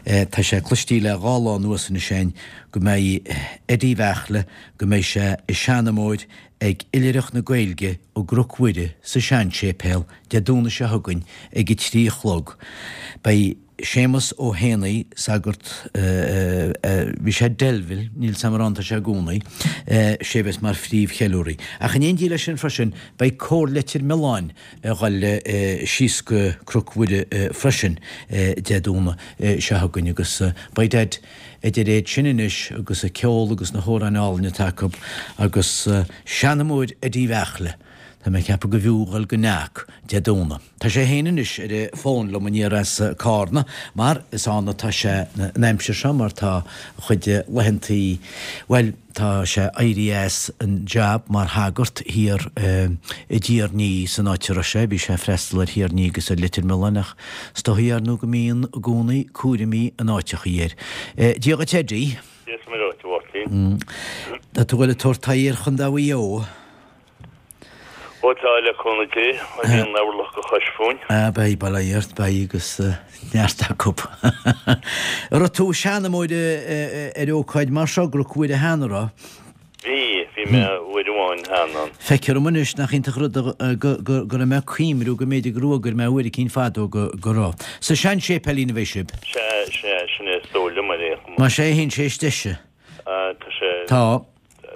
tá sé cloistí le dhá lá anuas anois againn go mbeidh Eddie Bheartla, go mbeidh sé ag seanmóir ag Oilithreacht na Gaeilge i gCnoc Mhuire sa seanséipéal Dé Domhnaigh seo chugainn ag a trí a chlog. Beidh Séamus Ó hÉanaí, sagart, bhí sé i Delville, níl 's a'm ar an tá sé i gcónaí, sé a bheas mar phríomhcheiliúraí. Ach in éindí leis sin freisin beidh Cór Leitir Mealláin a dhul síos go Cnoc Mhuire freisin Dé Domhnaigh seo chugainn agus beidh Daid Idir iad sin anois agus an ceol agus na hamhráin álainn atá acu agus seanmóir Eddie Bheartla, tá mé ag ceapadh go bhfiú dhul go Knock Dé Domhnaigh. Tá sé féin anois ar an bhfón liom aniar as Cárna mar is ann atá sé an aimsir seo mar tá a chuid laethantaí, bhuel, Tá sé éirithe as an jab mar shagart thiar i dTír an Fhia san áit a raibh sé. Bhí sé ag freastal ar Thír an Fhia agus ar Leitir Mealláin ach is dóichí ar ndóigh go mbíonn i gcónaí cúraimí in áiteachaí air. Dia dhuit Eddie. Dia is Muire dhuit, a Mháirtín. Tá tú ag dul ag tabhairt aghaidh ar Chontae Mhaigh Eo. Ó tá, le cúnamh Dé, má bhíonn an orlach de chois fúinn. Ah, beidh, bail ó Dhia ort, beidh agus neart acu. An raibh tú ag seanmóir ar ócáid mar seo i gCnoc Mhuire cheana, an raibh? Bhí, bhí mé uair amháin cheana ann. Feictear dom anois nach iontach an rud go go raibh mé ag cuimriú go mb'fhéidir gur fhuagair mé uair eicínt fadó go go raibh. Sa sean-séipéilín a bheidh sibh? Sea, sea, sin é is dóigh liom ar aon chuma. Más é a théann sé is deise. Ah, tá sé. Tá.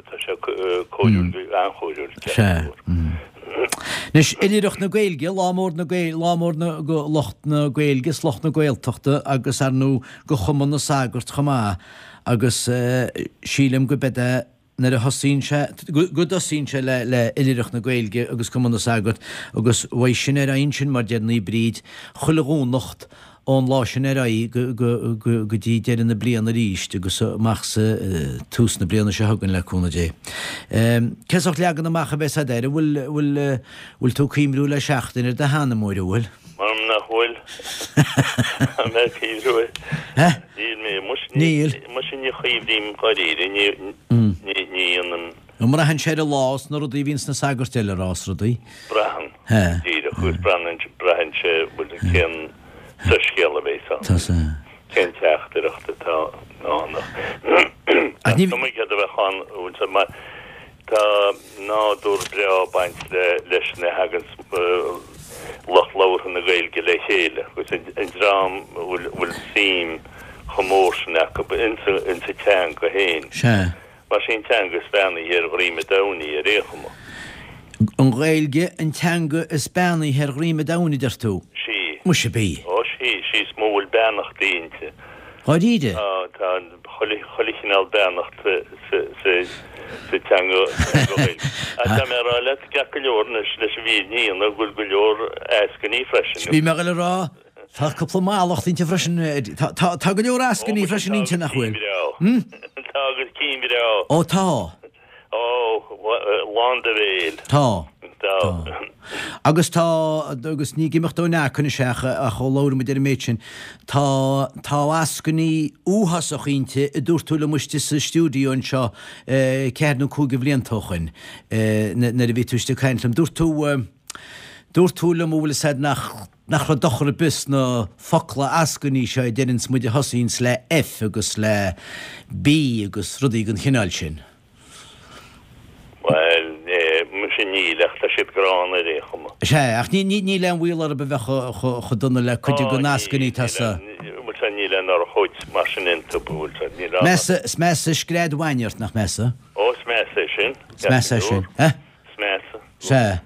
Tá sé cóiriúil, an-chóiriúil. Sea. Anois, Oilithreacht na Gaeilge, lá mór na Gaeilge, lá mór na, go lucht na Gaeilge is lucht na Gaeltachta agus ar ndóigh go Chumann na Sagart chomh maith agus sílim go beid é nuair a thosaíonn sé, go dtosaíonn sé le le Oilithreacht na Gaeilge agus Cumann na Sagart agus beidh sin ar aghaidh ansin mar deir Naomh Bríd chuile Dhomhnach ón lá sin ar aghaidh go dtí deireadh na bliana arís agus amach sa tús na bliana seo chugainn le cúnamh Dé. Cén sórt leagan amach a bheas agat air? An bhfuil, bhfuil, bhfuil tú ag cuimriú le seachtain ar do sheanmóir, an bhfuil? M'anam nach bhfuil. Tá mé ag cuimriú air. Níl mé, muise, Níl. Muise ní chuimhrím dháiríre, ní, ní, ní dhéanaim. An mbraitheann sé ar an lá is na rudaí a bhíonns na sagairt eile a rá is rudaí? Braitheann, díreach, agus braitheann, braitheann sé, bhfuil, cén soiscéal a bheas ann, cén teachtaireacht atá ann. Ach ní. Cuma céard a bheadh ann, bhfuil sé, mar tá nádúr breá ag baint le, leis na thaganns lucht labhartha na Gaeilge le chéile, agus an dream a bhfuil, bhfuil suim chomh mór sin acu insa, insa teanga féin. Sea. Mar sí an teanga is beannaithe ar dhroim an domhain í ar aon chuma. An Ghaeilge an teanga is beannaithe ar dhroim an domhain, a deir tú? Sí. Muise bí. Ó sí, sí is mó a bhfuil beannachtaí inti. Dháiríre? Tá, tá chuile, chuile chineál beannacht sa, sa, sa, sa teanga, teanga Ghaeilge. Ach tá mé a rá leat, ceart go leor anois, leis an bhfírinne a dhéanamh, go bhfuil go leor eascainí freisin. Bhí mé ag dul a rá, Tá cúpla mallacht inti freisin. Tá, tá go leor eascainí freisin inti, nach bhfuil? Tá agus cinn bhreá. Ó tá. Ó, lán do bhéil. Tá. Tá. Agus tá, agus ní ag imeacht ón anois ach, ach ó labhair muid ar an méid sin, tá, tá eascainí uafásacha inti a dúirt tú liom istigh sa stiúideo anseo ceathair nó cúig de bhlianta ó shoin, nuair a bhí tú istigh ag caint liom. Dúirt tú, dúirt tú liom, an bhfuil fhios a'd nach, nach raibh dochar ar bith sna focla eascainí seo a deireanns muid a thosaíonns le F agus le B agus rudaí den chineál sin. Bhuel, muise níl, ach tá siad gránna ar aon chuma. Sea, ach níl aon bhaol orthu a bheith chomh dona le cuid de na heascainí atá sa. Bhuel, sea, níl aon urchóid mar sin iontu, bhuel, sea, níl aon. Measa, is measa scread bhainne ort, nach measa? Ó, is measa é sin. Is measa é sin, eh? Is measa. Sea.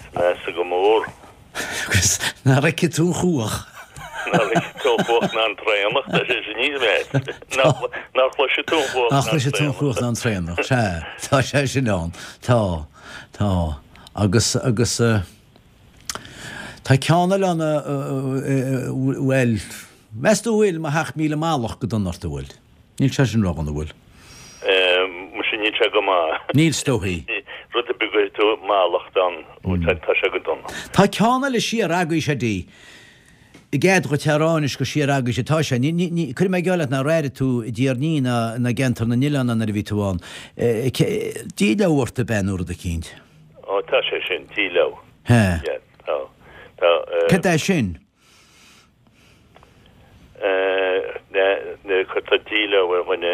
Is measa go mór. Agus nár fheice tú an chuach. Nár fheice tú an chuach ná an traonach, tá sé sin níos measa. Nár chloise tú an chuach ná an traonach. Nár chloise tú an chuach ná an traonach, sea, tá sé sin ann. Tá, tá. Agus, agus, tá ceann eile ann a, bhuel, meas tú an bhfuil mo sheacht míle mallacht go dona ort, an bhfuil? Níl sé sin ródhona, an bhfuil? Muise, níl sé go maith. Níl, is dóichí. Rud ar bith a gcuirfidh tú mallacht ann, tá sé go dona. Tá ceann eile siar agaibhse, a Eddie. I gcead dhuit a rá anois gur siar agaibhse atá sé. Ní, ní, ní, cuirfidh mé geall leat nár airigh tú i dTír an Fhia ná ná i gceantar na nOileán ná nuair a bhí tú ann. Díleá ort ab ea nó rud eicínt? Ó, tá sé sin, díleá. He. Yeah, tá. Tá, eh. Cad é sin? Nuair a cuirtear díleá ar dhuine,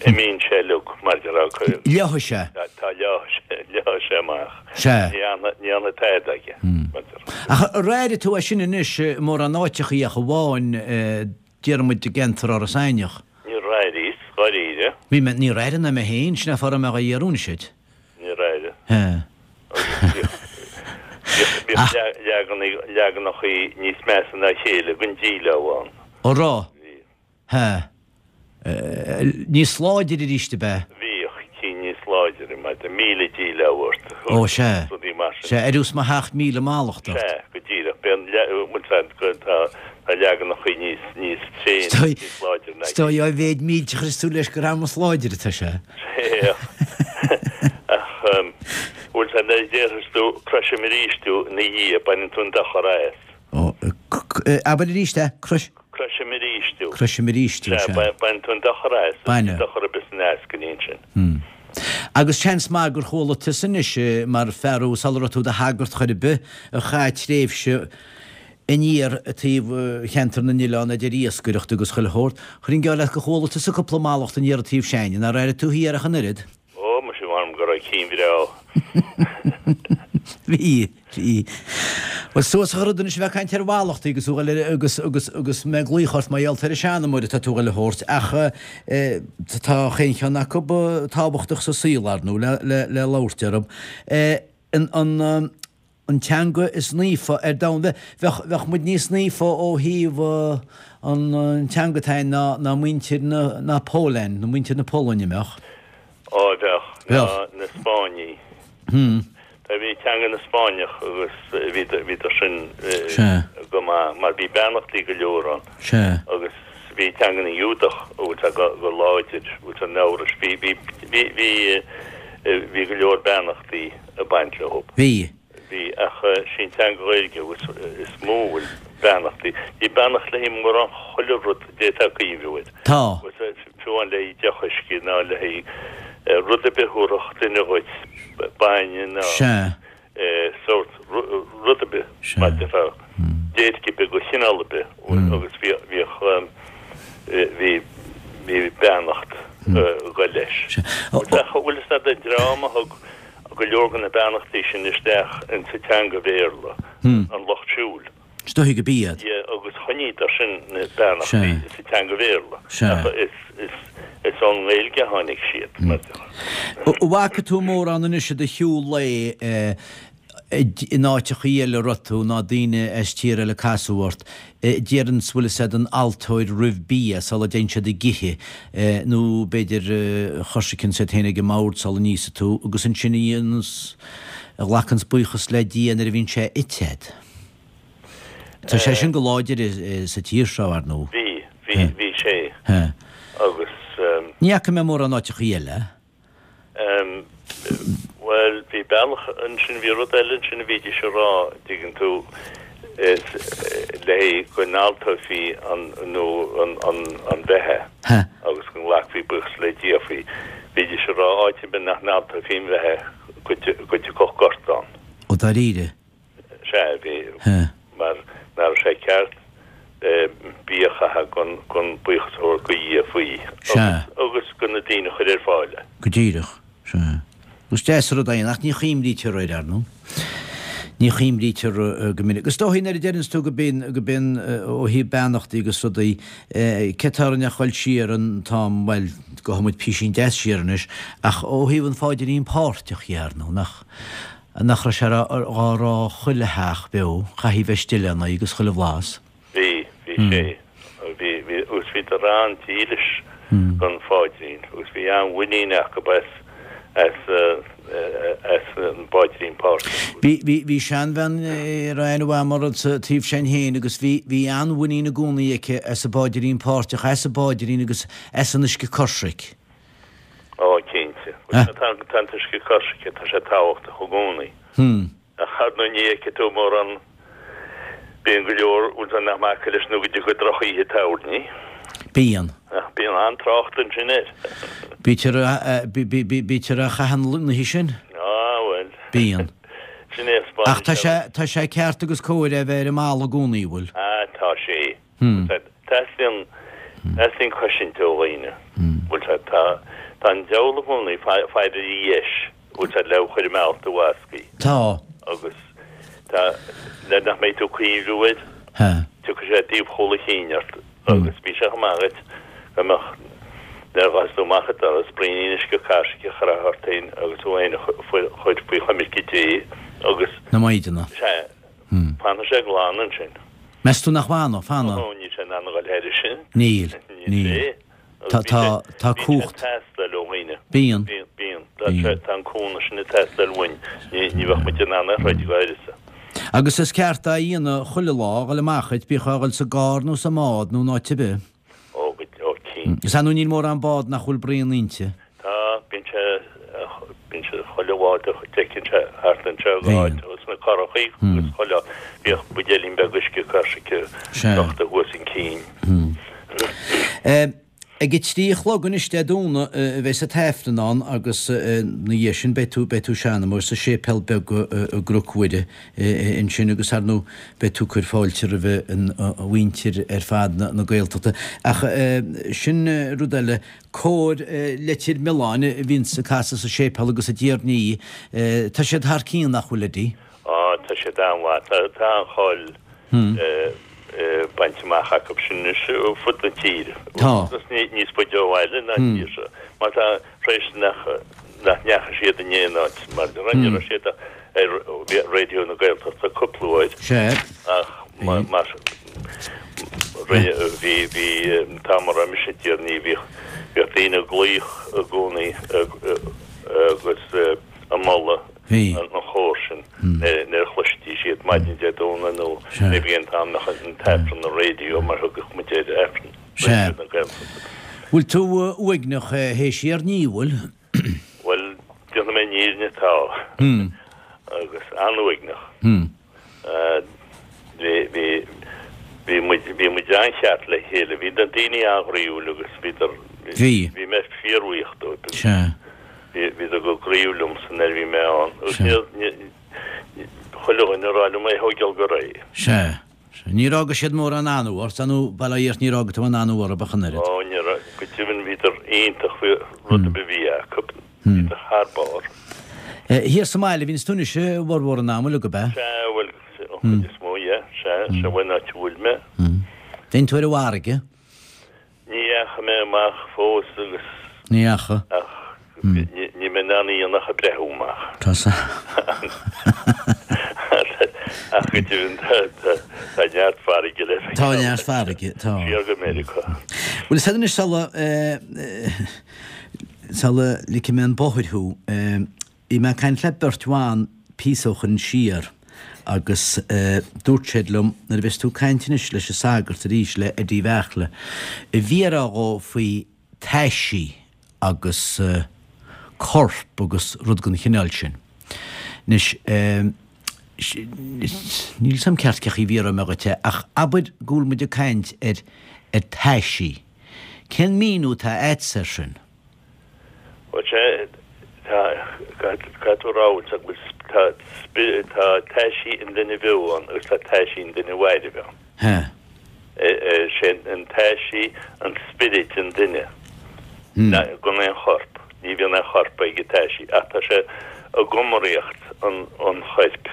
imíonn sé uilig, mar a déarfá. Leáfaidh sé. Tá, leáfaidh sé amach. Sea. Ní fhanfaidh tada aige, mar a déarfá. Ach ar airigh tú é sin anois i mórán áiteachaí ach amháin, déarfaidh muid i gceantar Iorras Aithneach? Níor airíos, dháiríre. Bhí mé, níor airigh ná mé féin, sin é fáth a raibh mé dhá iarraidh anois duit. Níor airigh. He. Bhíodh leaganachaí níos measa ná a chéile den díleá ann. Ó raibh? Bhí. He. Níos láidire arís ab ea? Bhíodh cinn níos láidire, mar de míle díleá ort. Ó, sea. Rudaí mar sin. Sea, ar fhios mo sheacht míle mallacht ort. Sea, go díreach. Bíonn, bhuel, tá leaganachaí níos, níos tréine, níos láidire ná. Is dóigh á mhéad mílte a chuireas tú leis gur amas láidire atá sé. Sea. Ach, bhuel, nuair a déarfas tú croisim arís thú ina dhiaidh, baineann tú an dochar as. Ó, abair arís é, crois. Croisim arís thú. Croisim arís thú, sea. Sea, baineann tú an dochar as. Baineann. Dochar ar bith san eascainí ansin. Hmm. Agus seans maith gur chuala tusa anois, mar fear sula raibh tú i do shagart chor ar bith, a chaith tréimhse aniar taobh cheantar na n-oileán idir iascaireacht agus chuile shórt, chuirfinn geall leat gur chuala tusa cúpla mallacht aniar an taobh s'againne, nár airigh tú thiar ach an oiread? Ó, muise, mh'anam go raibh cinn bhreá. Bhí, bhí. Bhuel, suas a rud anois a bheith ag caint ar mhallachtaí agus thú agus, agus, agus mé ag glaoch ort mar gheall ar an seanmóir atá tú a dhul a thabhairt ach tá chaon cheann acu tábhachtach sa saol, ar ndóigh, le, le, le labhairt orthu. An, an, an teanga is naofa ar domhan. Bheadh, bheadh muid níos naofa ó thaobh an, an teanga atá againn ná, ná muintir na, na Polainne, nó muintir na Polainne, mbeadh? Á, bheadh. Bheadh. Ná na Spáinnigh. Hmm. Bhí teanga na Spáinneach agus bhíodar sin Sea. go maith mar bhí beannachtaí go leor ann. Sea. Agus bhí teanga na nGiúdach go láidir, an Eabhrais, bhí, bhí, bhí, bhí, bhí go leor beannachtaí ag baint leo. Bhí. Bhí, ach sí an teanga Ghaeilge is mó a bhfuil beannachtaí. Bhí beannacht léi mórán chuile rud a d'fhéadfá cuimhniú air. Tá. Fiú amháin le haghaidh deoch uisce ná le haghaidh rud ar bith a thabharfadh duine dhuit, bainne ná Sea. sórt rud ar bith, Sea. mar a déarfá, déirc ar bith de chineál ar bith agus bhíodh, bhí, bhí beannacht ag goil leis. Ach bhfuil fhios a'd an dream a thug go leor de na beannachtaí sin isteach insa teanga Bhéarla, an Lucht Siúil. Is dóiche go b'iad. Yeah, agus choinníodar sin na beannachtaí sa teanga Bhéarla. Ach is, is, is ón nGaeilge a tháinig siad, mar a déarfá. An bhfaca tú mórán anois i do shiúl lae in áiteachaí eile a raibh tú ná daoine as tír eile casadh ort, deireanns bhfuil fhios a'd an altóir roimh bia sula dtéann siad ag ithe nó b'fhéidir choisriceann siad féin ag an mbord sula n-íosfaidh tú agus ansin a dhéananns, a ghlacanns buíochas le Dia nuair a bhíonn sé ite a'd. Tá sé sin go láidir sa tír seo, ar ndóigh. Bhí, bhí, bhí sé agus. Ní fhaca mé mórán áiteachaí eile. Bhuel, bhí bealach ansin, bhí rud eile ansin a bhídís a rá, dtuigeann tú, is le haghaidh go n-altófaí an, nó an, an, an bheatha agus go nglacfaí buíochas le Dia faoi. Bhídís a rá áit ar bith nach n-altófaí an bheatha go, go dtiocfadh gorta ann. Ó, dáiríre? Sea, bhí, mar nach raibh sé ceart bia a chaitheamh gan, gan buíochas a thabhairt go Dhia faoi agus go na daoine a chuir ar fáil é. Go díreach. Sea. Is deas an rud é, ach ní chuimrítear air, ar ndóigh. Ní chuimrítear go minic. Is dóichí nuair a deireanns tú go binn, go binn ó thaobh beannachtaí agus rudaí, cé tá orainn ach dhul siar an t-am, bhuel, gabhfaidh muid písín deas siar anois, ach ó thaobh an pháidrín páirteach dhe, ar ndóigh, nach, nach raibh sé dhá rá chuile theach beo, chaithfí bheith istigh lena agus chuile bhlas. Bhí, bhí sé. Bhí, bhí, agus bhíodar an-dílis don pháidrín agus bhí an-mhuinín acu as, as, as an bpáidrín páirteach. Bhí, bhí, bhí seanbhean a raibh aithne mhaith agam uirthi sa taobh sin féin agus bhí, bhí an-mhuinín i gcónaí aici as an bpáidrín páirteach, as an bpáidrín agus as an uisce coisricthe. Ó, cinnte. Tá, tá an t-uisce coisricthe, tá sé tábhachtach i gcónaí. Ach ar ndóigh ní fheicfidh tú mórán Bíonn go leor bhfuil nach maith leis nó go dtiocfaidh drochoíche tábhairní. Bíonn. Bíonn an-trácht ansin air. Bítear bítear a chaitheann na hoíche sin? Á, bhuel. Bíonn. Sin é Ach tá sé tá sé ceart agus cóir é bheith ar an mballa i gcónaí, bhfuil? Á, tá sé. Teastaíonn teastaíonn cosaint ó dhaoine. Bhfuil sé tá tá an diabhal i gcónaí faire ar dheis, bhfuil sé le chur imeacht do bhascaí. Tá. Agus tá le nach mbeidh tú cuimhniú air. Tiocfaidh sé taobh chúl a chinn ort agus bhí sé chomh maith agat go mbeadh nuair a ghabhfas tú amach an doras, braoinín uisce cairsicigh a chroitheadh ort féin agus thú féin a chur faoi choimirce Dé agus. Na Maighdine. Sea. Fanfaidh sé glan ansin. Meas tú nach bhfanfaidh? Fanfaidh. Ó, níl sé in ann a dhul thairis sin. Níl. Níl. Tá, tá, tá cumhacht. Bíonn sé ag teastáil ó dhaoine. Bíonn. Bíonn, bíonn. Tá sé, tá an cúnamh sin ag teastáil uainn. Ní, ní bheadh muid in ann é a throid go háirithe. Agus is ceart é a dhéanamh chuile lá, a dhul amach dhuit, bíodh a dhul sa gcarr nó sa mbád nó in áit ar bith. Ó, go, ó, cinnte. Is ar ndóigh níl mórán bád nach bhfuil braon inti. Tá, bíonn sé, bíonn sé chuile bhád a d'fheicfinn sé thart anseo go háit, agus na curachaí agus chuile, bíodh buidéilín beag uisce cairsice crochta thuas an cinn. Ag a trí a chlog anois Dé Domhnaigh a bheas an tAifreann ann agus ina dhiaidh sin beidh tú beidh tú ag seanmóir sa séipéal beag i gCnoc Mhuire ansin agus ar ndóigh beidh tú ag cur fáilte roimh an mhuintir ar fad na Gaeltachta. Ach sin rud eile, cór Leitir Mealláin a bhíonns ag casadh sa séipéal agus i dTír an Fhia, tá siad thar cionn nach bhfuil Eddie? Á tá siad an-mhaith, tá an-cháil bainte amach acu sin anois ar fud na tíre. Tá. Agus níos faide ó bhaile ná an tír seo. Mar tá tar éis nach nach ndeachaigh siad in aon áit mar ní raibh siad ar Raidió na Gaeltachta cúpla uair. Sea. Ach mar mar rinne bhí bhí an t-am a raibh mise i dTír an Fhia bhíodh bhíodh daoine ag glaoch i gcónaí agus ag moladh Bhí. an chór sin nuair a chloistí siad maidin Dé Domhnaigh nó maybe an t-am nach an t-Aifreann ar raidió mar thugadh muid air Aifreann Raidió na Gaeltachta. Bhfuil tú uaigneach théis iar ní, bhfuil? Bhuel, déanfaidh mé an fhírinne, tá. Agus an-uaigneach. Bhí, bhí, bhí muid, bhí muid an-cheart le chéile. Bhí na daoine an-ghroíúil agus bhíodar, Bhí. bhí mé fíorbhuíoch dóibh. Sea. Bhíodar go groíúil liomsa nuair a bhí mé ann. Agus ní, chuile dhuine ag rá liom é thógáil go réidh. Sea. Sea. Níor fhága siad mórán anbhá ort, nó bail ó Dhia ort níor fhága tú aon anbhá orthu ach an oiread. Ó, ní raibh. Go deimhin bhíodar iontach faoi rud ar bith a bhí acu. Bhíodar thar barr. Thiar sa mbaile a bhíonns tú anois i bhformhór an ama uilig, ab ea? Sea, bhuel, an chuid is mó, yeah. Sea, sea, bhuel, an áit a bhfuil mé. Téann tú ar an bhfarraige? Ní dheachaigh mé amach fós agus. Ní dheachaigh. Ach níl mé in ann a dhéanamh ach ag breathnú amach. Tá sa. Ach go deimhin tá neart farraige le feiceáil. Tá neart farraige, tá. Siar go Meiriceá. Bhuel, is anois sula sula ligfidh mé an bóthar thú, bhí mé ag caint le beirt bhan píosa ó shoin siar agus dúirt siad liom, nuair a bheas tú ag caint anois leis an sagart arís, le Eddie Bheartla, a bhí a rá dhó faoi taisí agus corp agus rud den chineál sin. Anois, níl 'fhios a'm ceart cé chaoi a bhfiafróidh mé dhuit é, ach abair go bhfuil muid ag caint ar ar taisí. Cén míniú atá a'dsa air sin? Bhuel, sea, tá, caithfidh tú a rá, bhfuil go bhfuil, tá, tá taisí an duine bheo ann agus tá taisí an duine mhairbh ann. Sea. Sé an taisí an spiorad an duine, gan aon chorp. Ní bhíonn aon chorp ag an taisí ach tá sé i gcumraíocht an choirp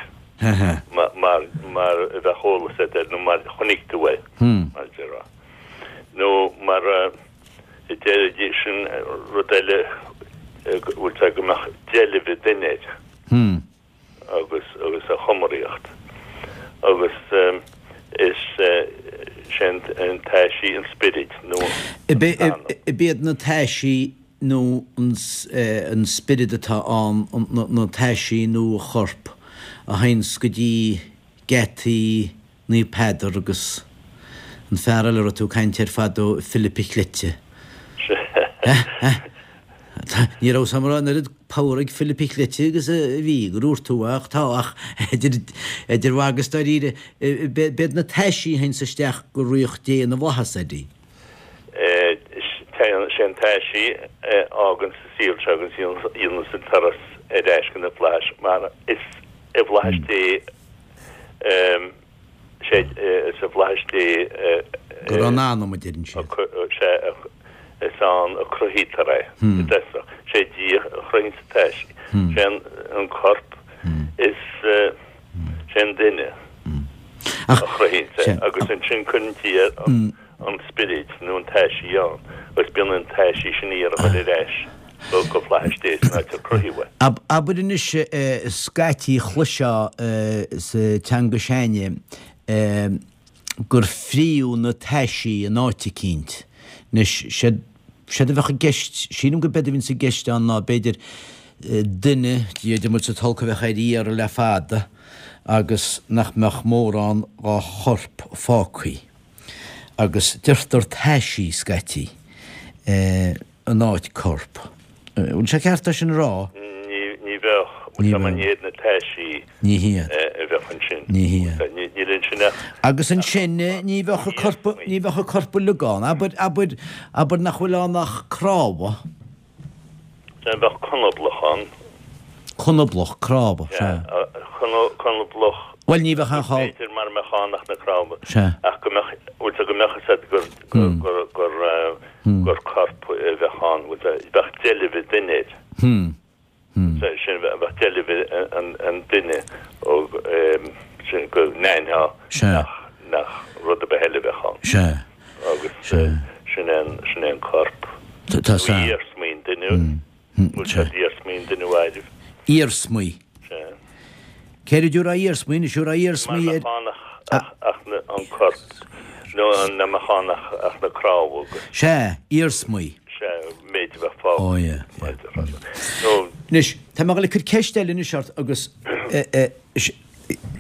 mar, mar a bheadh eolas agat air nó mar a chonaic tú é, mar a déarfá. Nó mar a déarfaidís sin rud eile go bhfuil sé go mbeadh deilbh ag duine air agus agus a chumraíocht agus is sé an taisí an spiorad nó an anam. Ab iad na taisí nó an spiorad atá ann na taisí nó a chorp a théanns go dtí geataí Naomh Peadar agus an fear eile a raibh tú ag caint air fadó, Philip an Chleite. Ní raibh 'fhios a'm an raibh an oiread pabhar ag Philip Chleite agus a bhí, go ndúirt tú, ach tá, ach idir, idir mhagadh is dáiríre, b'iad na taisí a théanns isteach go ríocht Dé na bhFlaitheas, Eddie. Sé an taisí a fhágann sa saol seo agus a dhéananns an turas ar ais go na flaithis mar is i bhflaithis Dé sé is i bhflaithis Dé Go raibh an anam, a deireann siad. Sea, is ann a cruthaítear é i dtosach. Sé Dia a chruthaíonns an taisí. Sé an corp is sé an duine a chruthaíonns é agus ansin cuireann Dia an spiorad nó an taisí ann agus bíonn an taisí sin ag iarraidh a dhul ar ais go flaithis Dé san áit ar cruthaíodh é. Abair anois scaití chloisfeá sa teanga s'againne gur fríodh na taisí in áit eicínt. Anois, séard, séard a bheadh i gceist, sílim go b'éard a bhíonns i gceist ann ná b'fhéidir duine, Dia duit muid sa tolg, a bheadh ar iarraidh le fada agus nach mbeadh mórán dhá chorp fágthaí. Agus deirtear taisí scaití. In áit corp. Bhfuil sé ceart é sin a rá? Ní bheadh. Ní bheadh. Ní hiad na taisí Ní hiad. a bheadh ansin. Ní hiad. Níl ansin ach. Agus ansin ní bheadh an corp, ní bheadh an corp uilig ann. Abair, abair, abair nach bhfuil ann ach cnámha. Bheadh conablach ann. Conablach, cnámha, sea. Conablach. Bhuel, ní bheadh aon chall. B'fhéidir mara mbeadh ann ach na cnámha. Sea. Ach go mbeadh, bhfuil 's go mbeadh 'fhios a'd gur, gur, gur, gur, gur corp a bheadh ann, bhfuil 's bheadh deilbh an duine air. Hmm. Hmm. Sea, sin, bheadh deilbh an, an duine ó, sin go n-aithneofá Sea. nach, nach rud ar bith eile a bheadh ann. Sea. Agus Sea. sin é an, sin é an corp. Tá, tá, Nó iarsmaí an duine. Hmm. Bhfuil 's a'd iarsmaí an duine a mhairbh. Iarsmaí. Sea. Céard a rá iarsmaí, anois a rá iarsmaí Mar ar. nach ann ach, ach na, an corp, nó an, nach mbeadh ann ach, ach na cnámha agus. Sea, iarsmaí. Sea, méid a bheadh fágtha. Ó, yeah, yeah. Nó. Anois, tá mé ag dul ag cur ceist eile anois ort agus, eh, eh,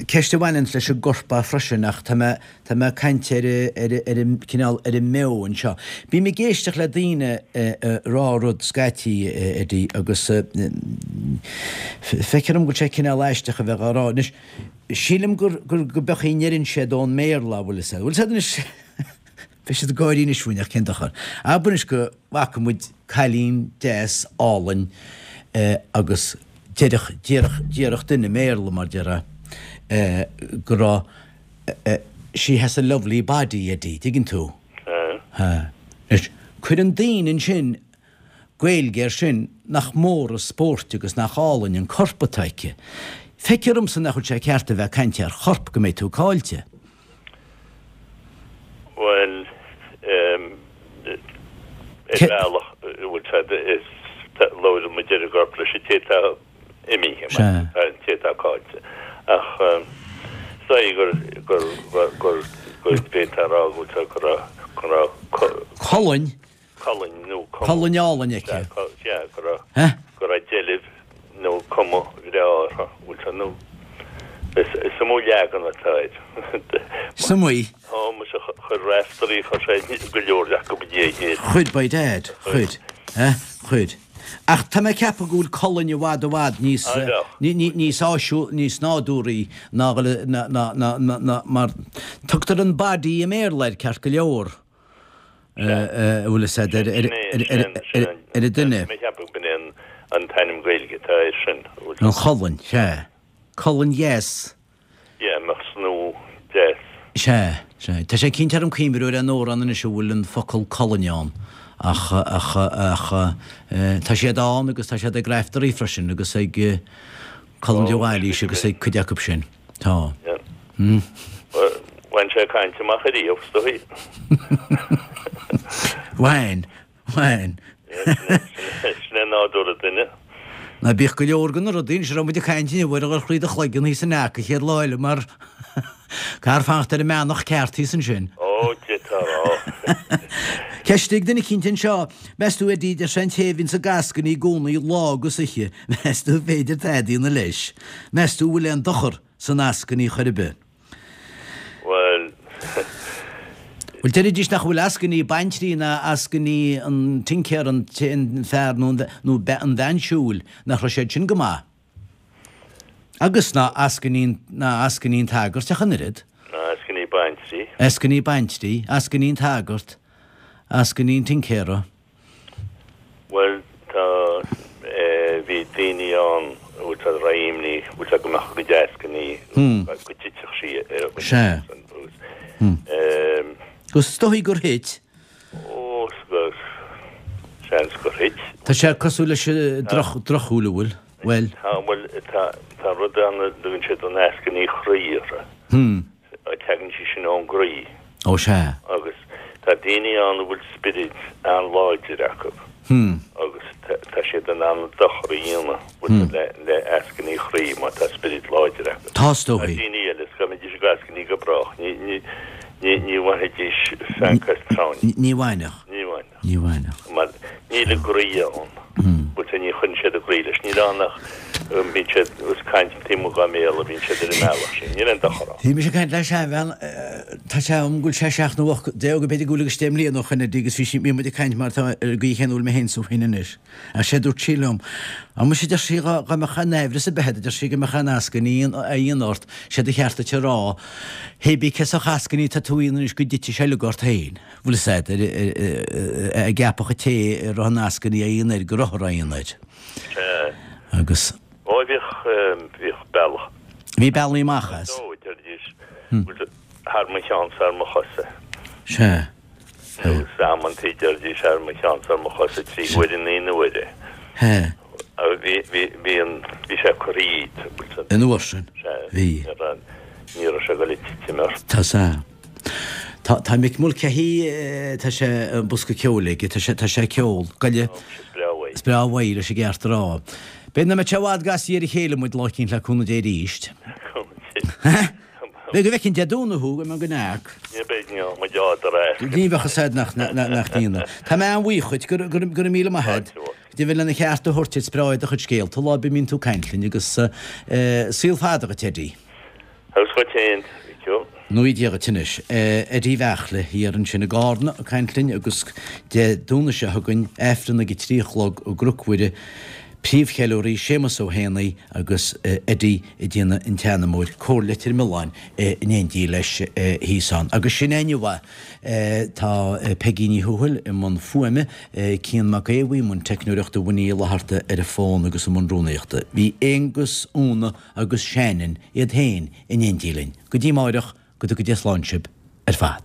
ceist a bhaineanns leis an gcorp freisin ach tá mé, tá mé ag caint ar, ar, ar an cineál, ar an mbeo anseo. Bím ag éisteacht le daoine ag rá rud scaití, Eddie, agus feictear dom go bhfuil sé cineál aisteach a bheith á rá. Anois, sílim gur, gur, go b'é an chaoi a ndeireann siad ón mBéarla, bhfuil 'fhios a'd. Bhfuil 'fhios a'd anois, beidh siad ag gáirí anois fúinn ach cén dochar. Abair anois go bhfaca muid cailín deas álainn agus déarfadh, déarfadh, déarfadh duine i mBéarla, mar déarfá, go raibh she has a lovely body, Eddie, tuigeann tú? Sea. Anois, cuireann daoine ansin Gaeilge air sin nach mór an spórt agus nach álainn an corp atá aici. Feictear domsa nach bhfuil sé ceart a bheith ag caint ar chorp go mbeidh tú caillte. Bhuel, ar bhealach, bhfuil 's a'd, is labhrann muid ar an gcorp leis an té atá imithe, an té atá caillte. Ach is dóigh gur, gur, gur, gur, b'fhéidir a rá go bhfuil go raibh, go raibh Colainn. Colainn nó cuma. Colainn álainn aici. Sea, go raibh, go raibh deilbh nó cuma bhreá uirthi, bhfuil 's a'd, nó is iomaí leagan atá air. Is iomaí. Ó, muise, chuir Raiftearaí, chuir sé go leor acu i ndiaidh a chéile. Chuir, by dad, chuir, eh, chuir. Ach tá mé ag ceapadh go bhfuil colainn i bhfad i bhfad níos, níos áisiúil, níos nádúraí ná, ná, ná, ná, ná, mar tugtar an body i mBéarla air ceart go leor. a bhfuil 'fhios a'd ar an duine. Mé cheapadh b'in é an t-ainm Gaeilge atá air sin. An cholainn, sea. Colainn dheas. Yeah, mbeadh snúth deas. Sea, sea. Tá sé cinnte orm cuimhniú ar aon amhrán anois a bhfuil an focal colainn ann ach, ach, ach tá siad ann agus tá siad ag Raiftearaí freisin agus ag Colm de Bhailís agus ag cuid acu sin. Tá. Bhain sé caint amach ariamh, is dóigh. Bhain, bhain. Sin é nádúr an duine. Ná bíodh go leor de na rudaí anois a raibh muid ag caint inniu air a dhul thríd do chloigeann thíos in Eac an chéad lá eile mar caithfear fanacht ar an mbeannach ceart thíos ansin. Ó, Dia tá a rá. Ceist ag duine eicínt anseo, meas tú Eddie, deir sé an té a bhíonns ag eascainí i gcónaí lá agus oíche, meas tú an féidir tada a dhéanamh leis? Meas tú an bhfuil aon dochar san eascainí chor ar bith? Bhuel, Bhuel, deiridís nach bhfuil eascainí baintrí ná eascainí an tincéara, an fear nó an bhean siúil, nach raibh siad sin go maith. Agus ná eascainí ná eascainí an tsagairt ach an oiread. Ná eascainí baintrí. Eascainí baintrí, eascainí an tsagairt, eascainí an tincéara. Bhuel, tá, bhí daoine ann a bhfuil siad réimní, bhfuil siad go mbeadh a gcuid eascainí, go dtitfeadh sí ar a gcuid Sea. Agus is dóigh gur thit. Ó, seans gur thit. Tá sé cosúil leis an drochshúil, an bhfuil? Bhuel. Tá, bhuel, tá, tá rud ann a dtugann siad an eascainí chroí uirthi. Tagann sí sin ón gcroí. Ó, sea. Agus tá daoine ann a bhfuil spiorad an-láidir acu. Agus tá siad in ann dochar a dhéanamh le eascainí chroí má tá spiorad láidir acu. Tá, is dóigh. Tá daoine eile, is dá mbeidís ag eascainí go brách, ní bhainfidís feanc as tráinne. Ní bhainfeadh. Ní bhainfeadh. Ní bhainfeadh. Mar níl a gcroí ann. Bhuel, ní chuireann siad a gcroí leis. Níl ann ach bíonn siad ag caint taobh amuigh dá mbéal a bhíonn siad ar an mbealach sin. Níl aon dochar ann. Bhí mise ag caint le seanbhean, tá sé agam go bhfuil sé seacht nó ocht déag, b'fhéidir go bhfuil agus deich mbliana ó shoin Eddie agus bhí sí, bhí muid ag caint mar tá ar an gcaoi chéanna a bhfuil mé féin is tú féin anois. Ach sé dúirt sí liom, Á muise, a deir sí, dhá mbeadh aon aimhreas ar bith agat, a deir sí, go mbeadh aon eascainí á dhéanamh ort, sé do cheart duit a rá, hé bí cé sórt eascainí atá tú a dhéanamh anois go dtitfidh sé uilig ort féin. Bhfuil fhios a'd, ag ceapadh an té a raibh an eascainí á dhéanamh air go raibh á dhéanamh air. Sea. Agus. Ó, bhíodh, bhíodh bealach. Bhí bealaí amach as. Ó, deiridís, thar mo cheann 's thar mo chosa. Sea. Agus amantaí deiridís thar mo cheann 's thar mo chosa trí huaire naoi n-uaire. Sea. Bhí, bhí, bhí an, bhí sé curtha dhíot, bhfuil 'fhios a'd. An uair sin. Sea. Bhí. Ní raibh, ní raibh sé ag dul ag titim ort. Tá sea. Tá, tá Mick Mulcahy, tá sé an bosca ceoil aige, tá sé, tá sé ag ceol. Goile. Ó, is breá uaidh. Is breá uaidh, leis an gceart a rá. B'fhéidir nach mbeidh sé i bhfad go ar a chéile muid lá eicínt le cúnamh Dé arís. Cúnamh Dé. B'fhéidir go bhfeicfinn Dé Domhnaigh thú, go mbeidh go neart. Ní bheidh, ní bheidh muid á do rá. Ní bheadh fhios a'd nach, nach, nach ndéanamh. Tá mé an-bhuíoch dhuit, go, go, go raibh míle maith a'd. Deimhin lena cheart a thabhairt duit, is breá do chuid scéalta lá ar bith a mbíonn tú ag caint linn agus eh, saol fada dhuit, Eddie. Agus dhuit féin, a Mhicil. Nui Dia dhuit anois. Eddie Bheartla thiar ansin i gCarna ag caint linn agus Dé Domhnaigh seo chugainn, Aifreann ag a trí a chlog i gCnoc Mhuire, príomhcheiliúraí Séamus Ó hÉanaí agus Eddie ag déanamh an tseanamóir, Cór Leitir Mealláin in éindí leis thíos ann. Agus sin é inniu é. Tá Peigí Ní Thuathail i mbun fuaime, Cian Mac Aodha Bhuí i mbun teicneoireachta, Winnie Uí Fhlatharta ar an bhfón agus i mbun rúnaíochta. Bhí Aonghus, Úna agus Shannon iad féin in éindí linn. Go dtí amáireach, go dtuga Dia slán sibh ar fad.